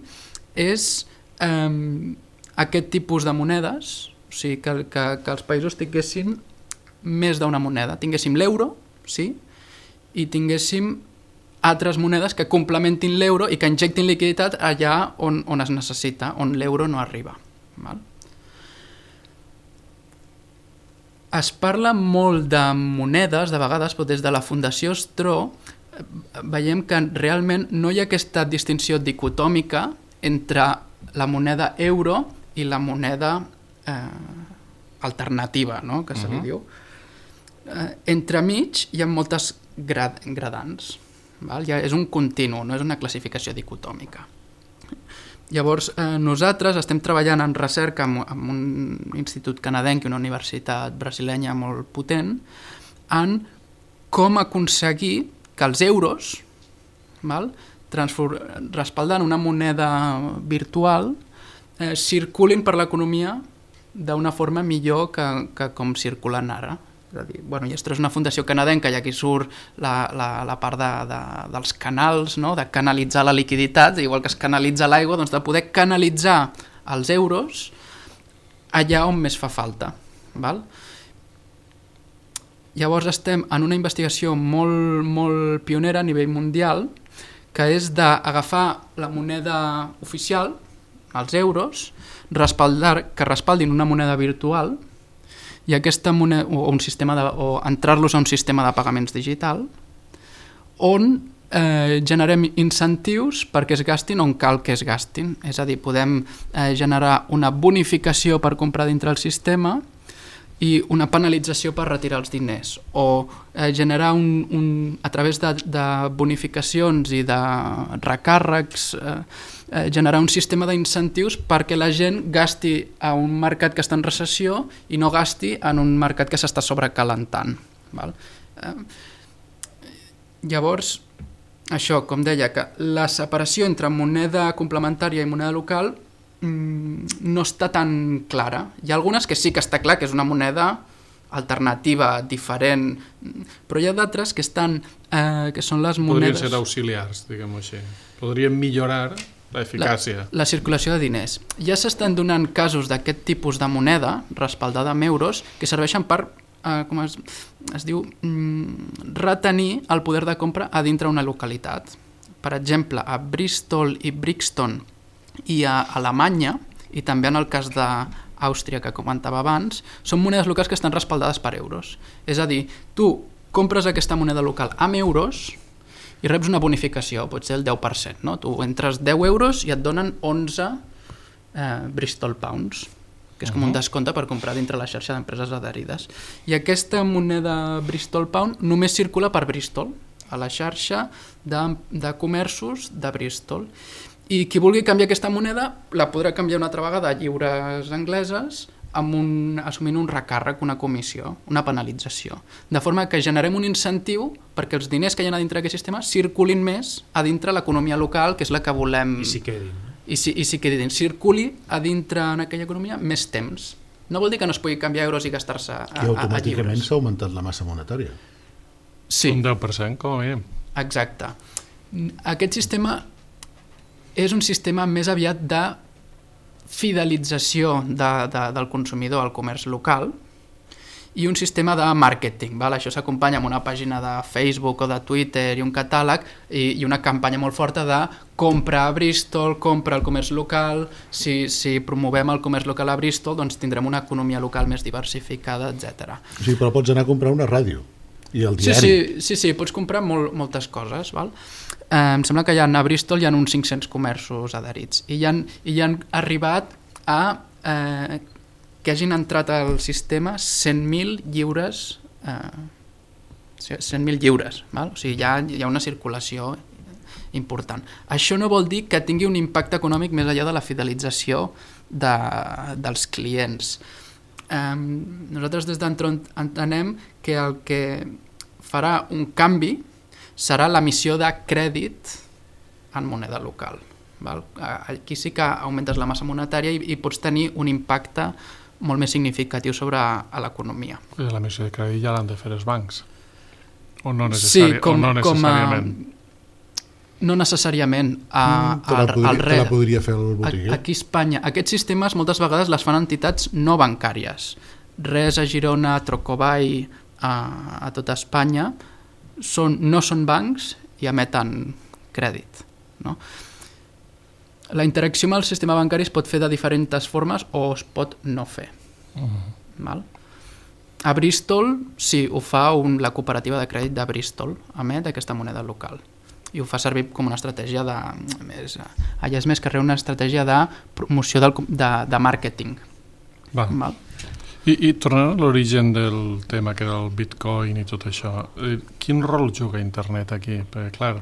és eh, aquest tipus de monedes, o sigui, que, que, que els països tinguessin més d'una moneda. Tinguéssim l'euro, sí, i tinguéssim altres monedes que complementin l'euro i que injectin liquiditat allà on, on es necessita, on l'euro no arriba. Val? Es parla molt de monedes, de vegades, però des de la Fundació Stro veiem que realment no hi ha aquesta distinció dicotòmica entre la moneda euro i la moneda eh, alternativa, no? Que se li uh-huh. diu. Eh, entremig hi ha moltes grad gradants. Val? Ja és un continu, no és una classificació dicotòmica. Llavors, eh, nosaltres estem treballant en recerca amb, amb un institut canadenc i una universitat brasilenya molt potent en com aconseguir que els euros, val, respaldant una moneda virtual, eh, circulin per l'economia d'una forma millor que, que com circulen ara. És a dir, bueno, i esto és una fundació canadenca i aquí surt la, la, la part de, de, dels canals, no? De canalitzar la liquiditat, igual que es canalitza l'aigua, doncs de poder canalitzar els euros allà on més fa falta. Val? Llavors estem en una investigació molt, molt pionera a nivell mundial, que és d'agafar la moneda oficial, els euros, respaldar, que respaldin una moneda virtual, i aquesta moneda, o, un sistema de, o entrar-los a un sistema de pagaments digital on eh, generem incentius perquè es gastin on cal que es gastin. És a dir, podem eh, generar una bonificació per comprar dintre el sistema i una penalització per retirar els diners, o eh, generar un, un, a través de, de bonificacions i de recàrrecs, eh, eh, generar un sistema d'incentius perquè la gent gasti a un mercat que està en recessió i no gasti en un mercat que s'està sobrecalentant. Val? Eh, llavors, això, com deia, que la separació entre moneda complementària i moneda local no està tan clara. Hi ha algunes que sí que està clar que és una moneda alternativa, diferent, però hi ha d'altres que estan, eh, que són les monedes... Podrien ser auxiliars, diguem-ho així. Podrien millorar l'eficàcia. La, la circulació de diners. Ja s'estan donant casos d'aquest tipus de moneda, respaldada amb euros, que serveixen per, eh, com es, es diu, mm, retenir el poder de compra a dintre una localitat. Per exemple, a Bristol i Brixton i a Alemanya, i també en el cas d'Àustria que comentava abans, són monedes locals que estan respaldades per euros. És a dir, tu compres aquesta moneda local amb euros i reps una bonificació, pot ser el deu per cent. No? Tu entres deu euros i et donen onze eh, Bristol Pounds, que és com un descompte per comprar dintre la xarxa d'empreses adherides. I aquesta moneda Bristol Pound només circula per Bristol, a la xarxa de, de comerços de Bristol. I qui vulgui canviar aquesta moneda la podrà canviar una altra vegada a lliures angleses amb un, assumint un recàrrec, una comissió, una penalització. De forma que generem un incentiu perquè els diners que hi ha a dintre d'aquest sistema circulin més a dintre l'economia local, que és la que volem... I s'hi quedin. I si, i si quedin. Circuli a dintre en aquella economia més temps. No vol dir que no es pugui canviar euros i gastar-se a, a, a lliures. I automàticament s'ha augmentat la massa monetària. Sí. Un deu per cent, com a mínim. Exacte. Aquest sistema és un sistema més aviat de fidelització de, de, del consumidor al comerç local i un sistema de màrqueting. Val? Això s'acompanya amb una pàgina de Facebook o de Twitter i un catàleg i, i una campanya molt forta de compra a Bristol, compra al comerç local. Si, si promovem el comerç local a Bristol, doncs tindrem una economia local més diversificada, etcètera. O sigui, però pots anar a comprar una ràdio i el diari. Sí, sí, sí, sí pots comprar molt, moltes coses, val? Eh, em sembla que hi ha, a Bristol hi ha uns cinc-cents comerços adherits i hi han, i hi han arribat a eh, que hagin entrat al sistema cent mil lliures eh, cent mil lliures, val? O sigui, hi ha, hi ha una circulació important. Això no vol dir que tingui un impacte econòmic més enllà de la fidelització de, dels clients. Eh, nosaltres des d'Entron entenem que el que farà un canvi serà l'emissió de crèdit en moneda local. Val? Aquí sí que augmentes la massa monetària i, i pots tenir un impacte molt més significatiu sobre l'economia. L'emissió de crèdit ja l'han de fer els bancs? O no, necessari... sí, com, o no necessàriament? Com a... No necessàriament. A, mm, te, la podria, al te la podria fer el botiguer? Aquí a Espanya. Aquests sistemes moltes vegades les fan entitats no bancàries. Res a Girona, Trocobay, a, a tota Espanya, Són, no són bancs i emeten crèdit. No? La interacció amb el sistema bancari es pot fer de diferents formes o es pot no fer. Uh-huh. Val? A Bristol, sí, ho fa un, la cooperativa de crèdit de Bristol, emet aquesta moneda local. I ho fa servir com una estratègia de... Més, allà és més que res una estratègia de promoció del, de, de màrqueting. Va. Val? I, I tornant a l'origen del tema, que era el Bitcoin i tot això, eh, quin rol juga internet aquí? Perquè, clar,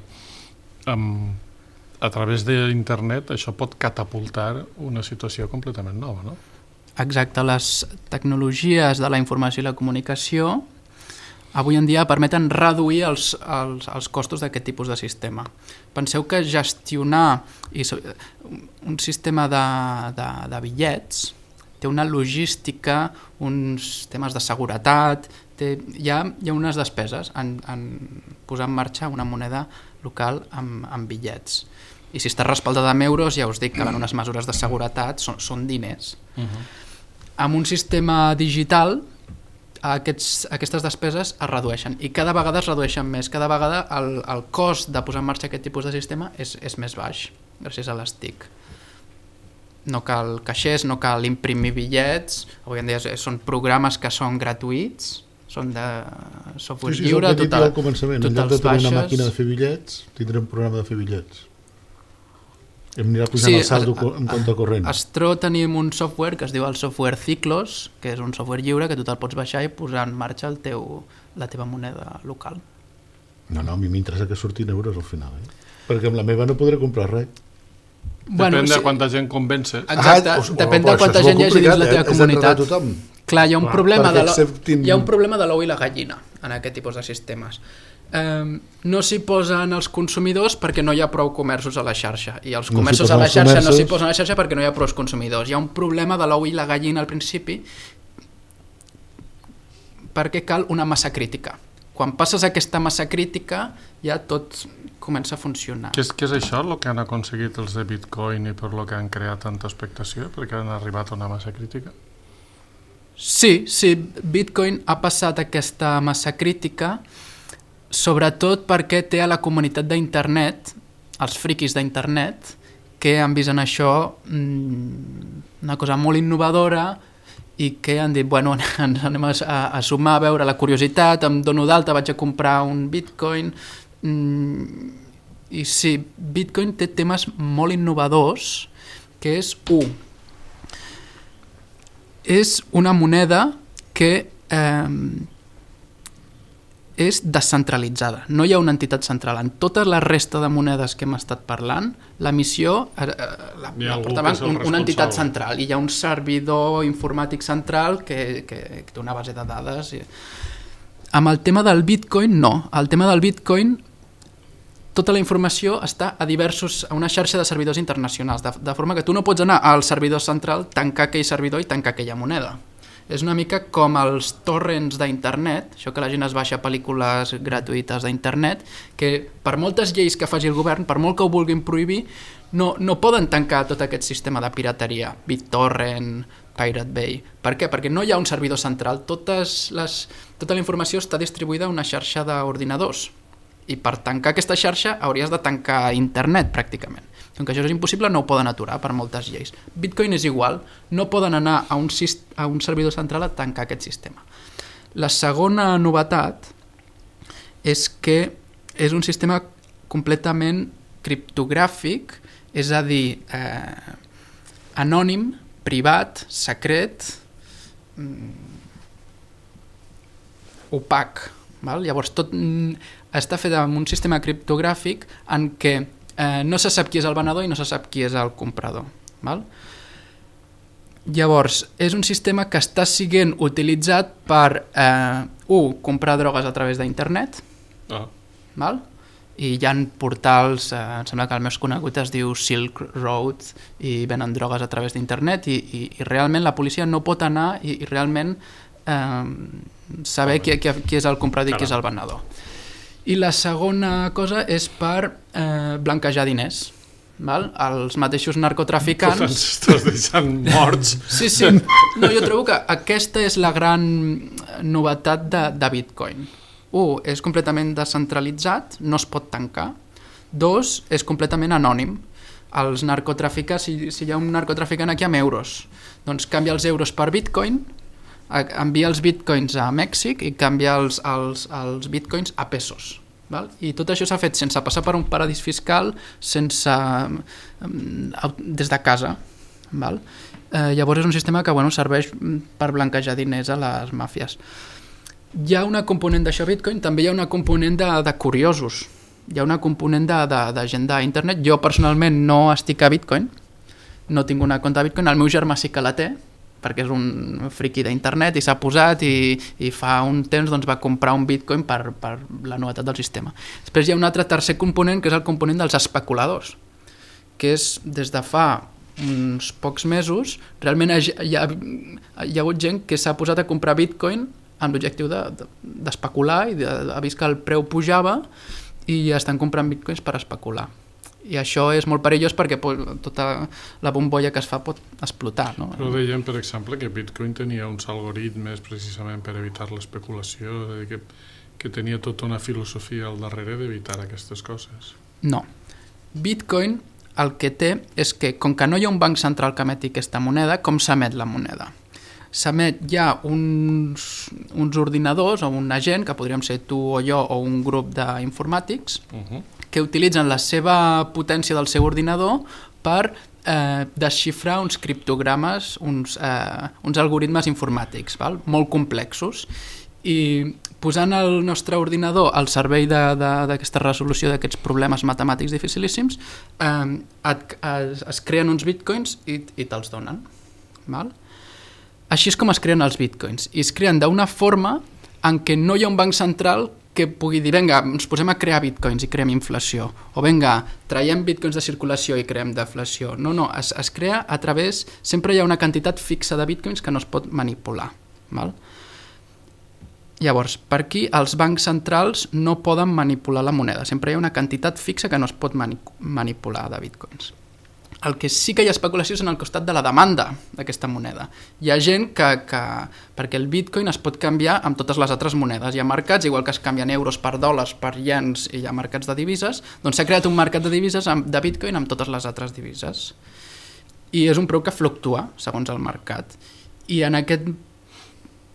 amb, a través d'internet això pot catapultar una situació completament nova, no? Exacte, les tecnologies de la informació i la comunicació avui en dia permeten reduir els, els, els costos d'aquest tipus de sistema. Penseu que gestionar i, un sistema de, de, de bitllets té una logística, uns temes de seguretat, té, hi, ha, hi ha unes despeses en, en posar en marxa una moneda local amb, amb bitllets. I si està respaldada amb euros, ja us dic que van unes mesures de seguretat, són, són diners. Uh-huh. Amb un sistema digital, aquests, aquestes despeses es redueixen i cada vegada es redueixen més. Cada vegada el, el cost de posar en marxa aquest tipus de sistema és, és més baix, gràcies a les T I C. No cal caixers, no cal imprimir bitllets, avui en dia són programes que són gratuïts, són de software sí, sí, lliure, tot el, al començament. En lloc de tenir una màquina de fer bitllets, tindrem un programa de fer bitllets. Em anirà pujant sí, el saldo a, en compte corrent. A Stro tenim un software que es diu el software Ciclos, que és un software lliure que tu te'l pots baixar i posar en marxa el teu, la teva moneda local. No, no, a mi m'interessa que surtin euros al final, eh? Perquè amb la meva no podré comprar res. Bueno, depèn de sí. quanta gent convences. Exacte, ah, o, depèn de quanta gent hi hagi dins la teva eh? comunitat. Clar, hi ha un, Clar, problema de acceptin... hi ha un problema de l'ou i la gallina en aquest tipus de sistemes. Um, no s'hi posen els consumidors perquè no hi ha prou comerços a la xarxa i els comerços no a la xarxa comerços... no s'hi posen a la xarxa perquè no hi ha prou consumidors. Hi ha un problema de l'ou i la gallina al principi perquè cal una massa crítica. Quan passes aquesta massa crítica ja tot comença a funcionar. Què és, què és això, el que han aconseguit els de Bitcoin i per lo que han creat tanta expectació? Perquè han arribat a una massa crítica? Sí, sí, Bitcoin ha passat aquesta massa crítica sobretot perquè té a la comunitat d'internet, els friquis d'internet, que han vist en això mmm, una cosa molt innovadora i que han dit, bueno, ens anem a, a sumar, a veure la curiositat, em dono d'alta, vaig a comprar un Bitcoin. Mm, I sí, Bitcoin té temes molt innovadors, que és, u, és una moneda que eh, és descentralitzada, no hi ha una entitat central. En tota la resta de monedes que hem estat parlant, la missió eh, la, la portava un, una entitat central i hi ha un servidor informàtic central que, que, que té una base de dades. I... Amb el tema del Bitcoin, no. El tema del Bitcoin, tota la informació està a diversos a una xarxa de servidors internacionals, de, de forma que tu no pots anar al servidor central, tancar aquell servidor i tancar aquella moneda. És una mica com els torrents d'internet, això que la gent es baixa pel·lícules gratuïtes d'internet, que per moltes lleis que faci el govern, per molt que ho vulguin prohibir, no, no poden tancar tot aquest sistema de pirateria, BitTorrent, Pirate Bay. Per què? Perquè no hi ha un servidor central, totes les, tota la informació està distribuïda a una xarxa d'ordinadors, i per tancar aquesta xarxa hauries de tancar internet pràcticament. Com que això és impossible, no ho poden aturar per moltes lleis. Bitcoin és igual, no poden anar a un, a un servidor central a tancar aquest sistema. La segona novetat és que és un sistema completament criptogràfic, és a dir, eh, anònim, privat, secret, opac. Val? Llavors, tot està fet amb un sistema criptogràfic en què eh, no se sap qui és el venedor i no se sap qui és el comprador. Val? Llavors, és un sistema que està sent utilitzat per, eh, un, comprar drogues a través d'internet, ah. val? I hi ha portals, eh, em sembla que el més conegut es diu Silk Road, i venen drogues a través d'internet, i, i, i realment la policia no pot anar i, i realment eh, saber qui, qui, qui és el comprador i qui és el venedor. I la segona cosa és per eh, blanquejar diners. Val? Els mateixos narcotraficants... Ens estàs deixant morts. Sí, sí. No, jo trobo que aquesta és la gran novetat de, de Bitcoin. Un, és completament descentralitzat, no es pot tancar. Dos, és completament anònim. Els narcotraficants, si, si hi ha un narcotraficant aquí amb euros, doncs canvia els euros per Bitcoin, envia els bitcoins a Mèxic i canvia els, els, els bitcoins a pesos. Val? I tot això s'ha fet sense passar per un paradís fiscal, sense, des de casa. Val? Eh, llavors és un sistema que bueno, serveix per blanquejar diners a les màfies. Hi ha una component d'això Bitcoin, també hi ha una component de, de curiosos, hi ha una component de, de, de gent d'internet. Jo personalment no estic a Bitcoin, no tinc una compte de Bitcoin, el meu germà sí que la té, perquè és un friqui d'internet i s'ha posat i, i fa un temps doncs, va comprar un bitcoin per, per la novetat del sistema. Després hi ha un altre tercer component que és el component dels especuladors, que és des de fa uns pocs mesos realment hi ha, hi ha, hi ha hagut gent que s'ha posat a comprar bitcoin amb l'objectiu d'especular de, de, i de, ha vist que el preu pujava i estan comprant bitcoins per especular. I això és molt perillós perquè tota la bombolla que es fa pot explotar. No? Però dèiem, per exemple, que Bitcoin tenia uns algoritmes precisament per evitar l'especulació, que, que tenia tota una filosofia al darrere d'evitar aquestes coses. No. Bitcoin el que té és que, com que no hi ha un banc central que emeti aquesta moneda, com s'emet la moneda? S'emet, hi ha uns, uns ordinadors o un agent, que podríem ser tu o jo o un grup d'informàtics, uh-huh. que utilitzen la seva potència del seu ordinador per eh, desxifrar uns criptogrames, uns, eh, uns algoritmes informàtics, val? Molt complexos. I posant el nostre ordinador al servei d'aquesta resolució d'aquests problemes matemàtics dificilíssims, eh, et, es, es creen uns bitcoins i, i te'ls donen. Val? Així és com es creen els bitcoins. I es creen d'una forma en què no hi ha un banc central que pugui dir, vinga, ens posem a crear bitcoins i creem inflació, o vinga, traiem bitcoins de circulació i creem deflació. No, no, es, es crea a través... Sempre hi ha una quantitat fixa de bitcoins que no es pot manipular. Val? Llavors, per aquí els bancs centrals no poden manipular la moneda. Sempre hi ha una quantitat fixa que no es pot mani manipular de bitcoins. El que sí que hi ha especulació és en el costat de la demanda d'aquesta moneda. Hi ha gent que, que... perquè el bitcoin es pot canviar amb totes les altres monedes. Hi ha mercats, igual que es canvien euros per dòlars, per iens, i hi ha mercats de divises, doncs s'ha creat un mercat de divises amb, de bitcoin amb totes les altres divises. I és un preu que fluctua, segons el mercat. I en aquest,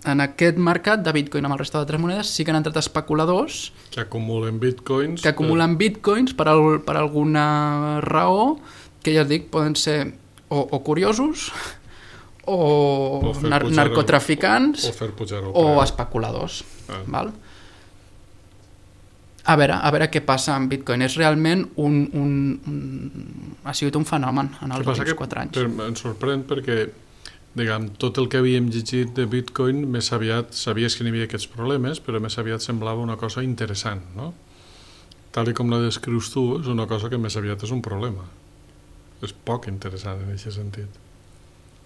en aquest mercat de bitcoin amb el resta d'altres monedes sí que han entrat especuladors que acumulen bitcoins, que acumulen bitcoins per, al, per alguna raó, que ja et dic, poden ser o, o curiosos o, o nar narcotraficants el, o, o especuladors. Ah. Val? A veure, a veure què passa amb Bitcoin. És realment un... un, un ha sigut un fenomen en els últims quatre anys. Per, em sorprèn perquè diguem, tot el que havíem llegit de Bitcoin més aviat sabies que n'hi havia aquests problemes, però més aviat semblava una cosa interessant, no? Tal com la descrius tu, és una cosa que més aviat és un problema. És poc interessant en aquest sentit.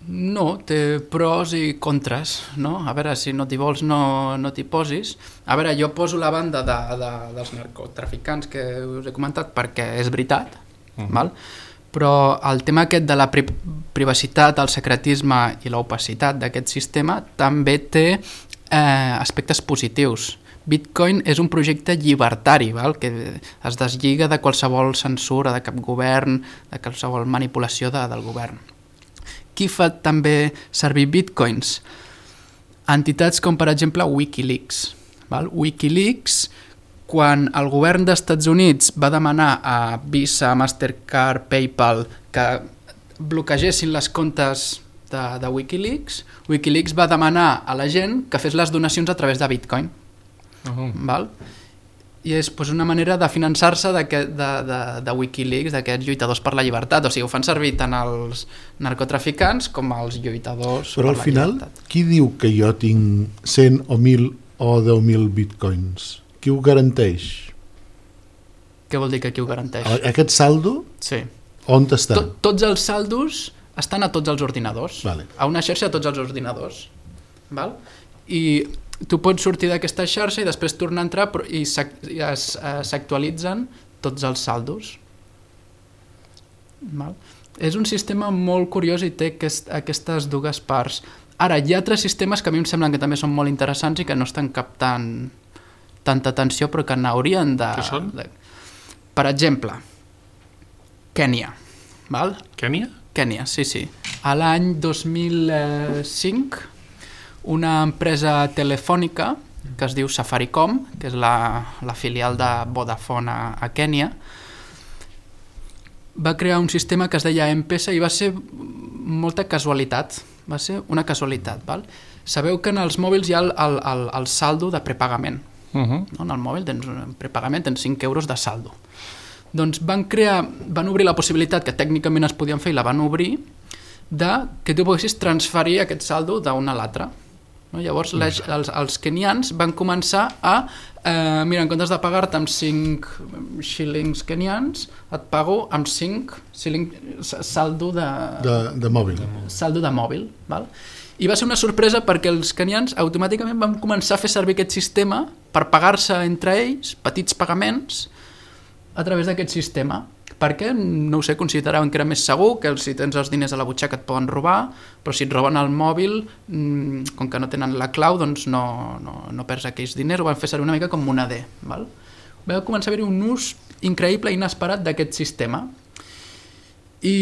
No, té pros i contres, no? A veure, si no t'hi vols no, no t'hi posis. A veure, jo poso la banda de, de, dels narcotraficants que us he comentat perquè és veritat, uh-huh. val? Però el tema aquest de la pri privacitat, el secretisme i l'opacitat d'aquest sistema també té eh, aspectes positius. Bitcoin és un projecte llibertari, val? Que es deslliga de qualsevol censura, de cap govern, de qualsevol manipulació de, del govern. Qui fa també servir bitcoins? Entitats com, per exemple, Wikileaks. Val? Wikileaks, quan el govern dels Estats Units va demanar a Visa, Mastercard, PayPal que bloquegessin les comptes de, de Wikileaks, Wikileaks va demanar a la gent que fes les donacions a través de Bitcoin. Uh-huh. Val? I és pues, una manera de finançar-se de, de, de, de Wikileaks, d'aquests lluitadors per la llibertat. O sigui, ho fan servir tant els narcotraficants com els lluitadors per la llibertat. Però al final, qui diu que jo tinc cent o mil o deu mil bitcoins? Qui ho garanteix? Què vol dir que qui ho garanteix? Aquest saldo? Sí. On està? Tot, tots els saldos estan a tots els ordinadors. Vale. A una xarxa a tots els ordinadors. Val? I tu pots sortir d'aquesta xarxa i després tornar a entrar i s'actualitzen tots els saldos. Val? És un sistema molt curiós i té aquest, aquestes dues parts. Ara, hi ha altres sistemes que a mi em semblen que també són molt interessants i que no estan captant tanta atenció però que n'haurien de... Què són? De... Per exemple, Kènia. Val? Kènia? Kènia, sí, sí. A l'any dos mil cinc una empresa telefònica que es diu Safaricom, que és la, la filial de Vodafone a, a Kènia, va crear un sistema que es deia M-Pesa i va ser molta casualitat, va ser una casualitat. Val? Sabeu que en els mòbils hi ha el, el, el, el saldo de prepagament. Uh-huh. No? En el mòbil tens un prepagament, tens cinc euros de saldo. Doncs van crear, van obrir la possibilitat, que tècnicament es podien fer i la van obrir, de que tu poguessis transferir aquest saldo d'un a l'altre. No? Llavors les, els, els kenians van començar a eh, mira, en comptes de pagar-te amb cinc shillings kenians, et pago amb cinc shillings saldo de, de, de mòbil, saldo de mòbil, val? I va ser una sorpresa perquè els kenians automàticament van començar a fer servir aquest sistema per pagar-se entre ells petits pagaments a través d'aquest sistema, perquè, no ho sé, consideraven que era més segur, que si tens els diners a la butxaca et poden robar, però si et roben el mòbil, com que no tenen la clau, doncs no, no, no perds aquells diners, ho van fer servir una mica com moneder. Val? Va començar a haver-hi un ús increïble i inesperat d'aquest sistema. I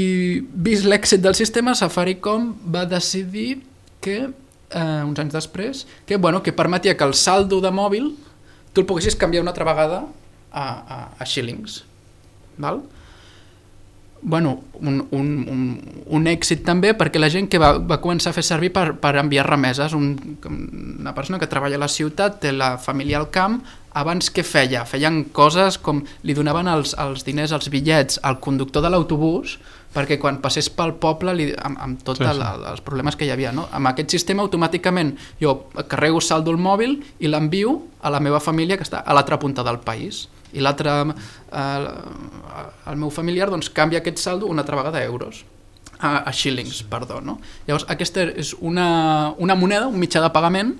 vist l'èxit del sistema, Safaricom va decidir que, eh, uns anys després, que, bueno, que permetia que el saldo de mòbil tu el poguessis canviar una altra vegada a, a, a shillings. Val? Bueno, un, un, un, un èxit també perquè la gent que va, va començar a fer servir per, per enviar remeses, un, una persona que treballa a la ciutat, té la família al camp, abans què feia? Feien coses com li donaven els, els diners, els bitllets al conductor de l'autobús perquè quan passés pel poble li, amb, amb tots sí, sí. els problemes que hi havia, no? Amb aquest sistema automàticament jo carrego saldo al mòbil i l'envio a la meva família que està a l'altra punta del país i l'altre, eh, el meu familiar doncs canvia aquest saldo una altra vegada a euros, a, a shillings, perdó, no? Llavors aquesta és una, una moneda, un mitjà de pagament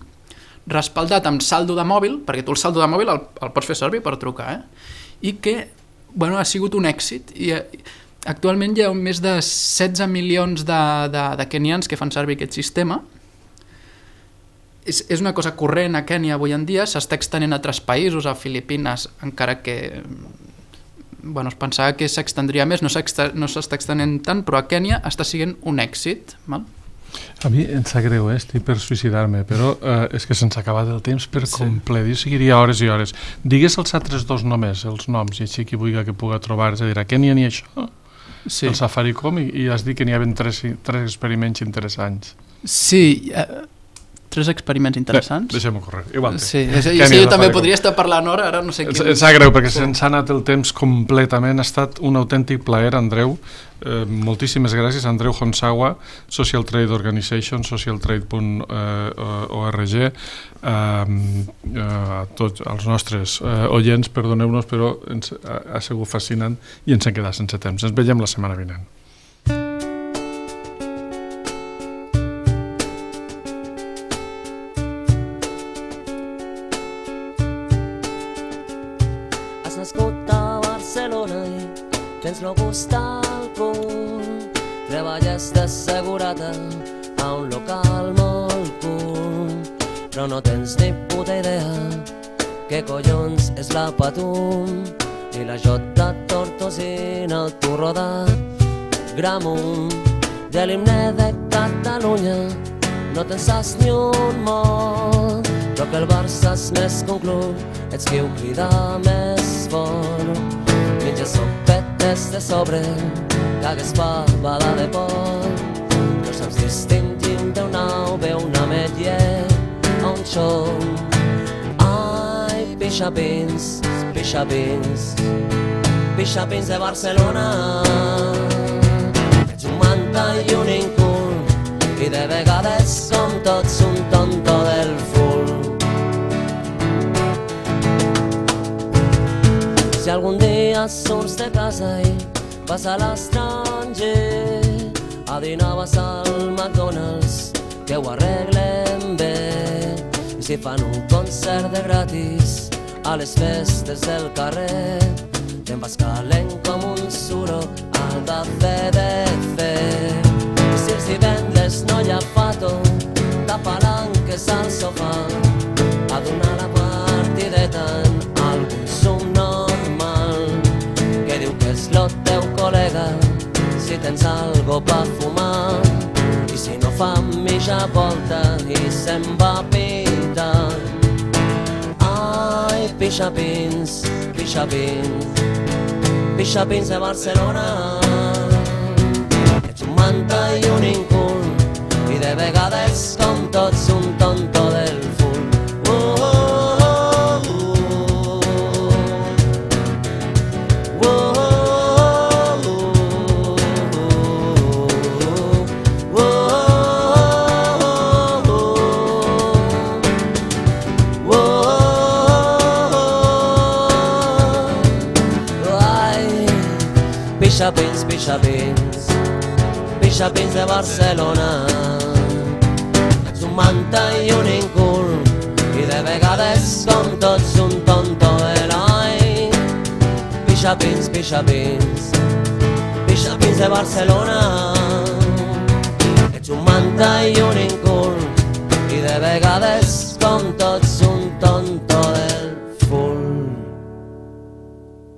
respaldat amb saldo de mòbil, perquè tu el saldo de mòbil el, el pots fer servir per trucar, eh? I que, bueno, ha sigut un èxit i actualment hi ha més de setze milions de, de, de kenians que fan servir aquest sistema. És, és una cosa corrent a Kènia avui en dia, s'està extenent a altres països, a Filipines, encara que bueno, es pensava que s'extendria més, no s'està no extenent tant, però a Kènia està sent un èxit. Val? A mi em sap greu, eh? Estic per suïcidar-me, però eh, és que se'ns ha acabat el temps per sí. complet, i seguiria hores i hores. Digues els altres dos només, els noms, i així qui vulgui que puga trobar, és a dir, a Kènia n'hi ha això, sí. el Safaricom, i, i has dit que n'hi havia tres, tres experiments interessants. Sí, eh, tres experiments interessants. Bé, deixem-ho córrer, igual. Sí, és, sí, sí jo també podria estar parlant hora, ara no sé què... Em sap greu, perquè se'ns ha anat el temps completament, ha estat un autèntic plaer, Andreu. Eh, moltíssimes gràcies, Andreu Honsawa, Social Trade Organization, social trade punt org, eh, eh, a tots els nostres eh, oients, perdoneu-nos, però ens ha, ha sigut fascinant i ens hem quedat sense temps. Ens veiem la setmana vinent. Has nascut a Barcelona i tens lo gust d'alcohol. Treballes d'assegurada a un local molt cool, però no tens ni puta idea què collons és la Patum i la Jota Tortosina, el turro de Gramunt. De l'himne de Catalunya no te'n saps ni un mot, però que el Barça és més que un club, ets qui ho crida més fort. Menja sopetes de sobre, cagues fabada de por, no saps distingir un teu nou, ve una ametlla a un xom. Ai, pixapins, pixapins, pixapins de Barcelona. Ets un manta i un incul, i de vegades som tots un tonto del full. Si algun dia surts de casa i vas a l'estranger, a dinar vas al McDonald's, que ho arreglen bé. I si fan un concert de gratis a les festes del carrer, te'n vas calent com un suro al de C D C. I si els divendres no hi ha pato, de palanques al sofà, a donar la partideta en algun subnormal, que diu que és lo teu col·lega si tens algo pa fumar, i si no fa mitja volta i se'n va pitant. Ai, pixapins, pixapins, pixapins de Barcelona. Ets un manta i un incul, i de vegades com tots un tonto del ful. Oh, oh, oh, oh, oh. Pixapins, pixapins, pixapins de Barcelona. Ets un manta i un incul, i de vegades com tots un tonto de l'any. Pixapins, pixapins, pixapins de Barcelona. Ets un manta i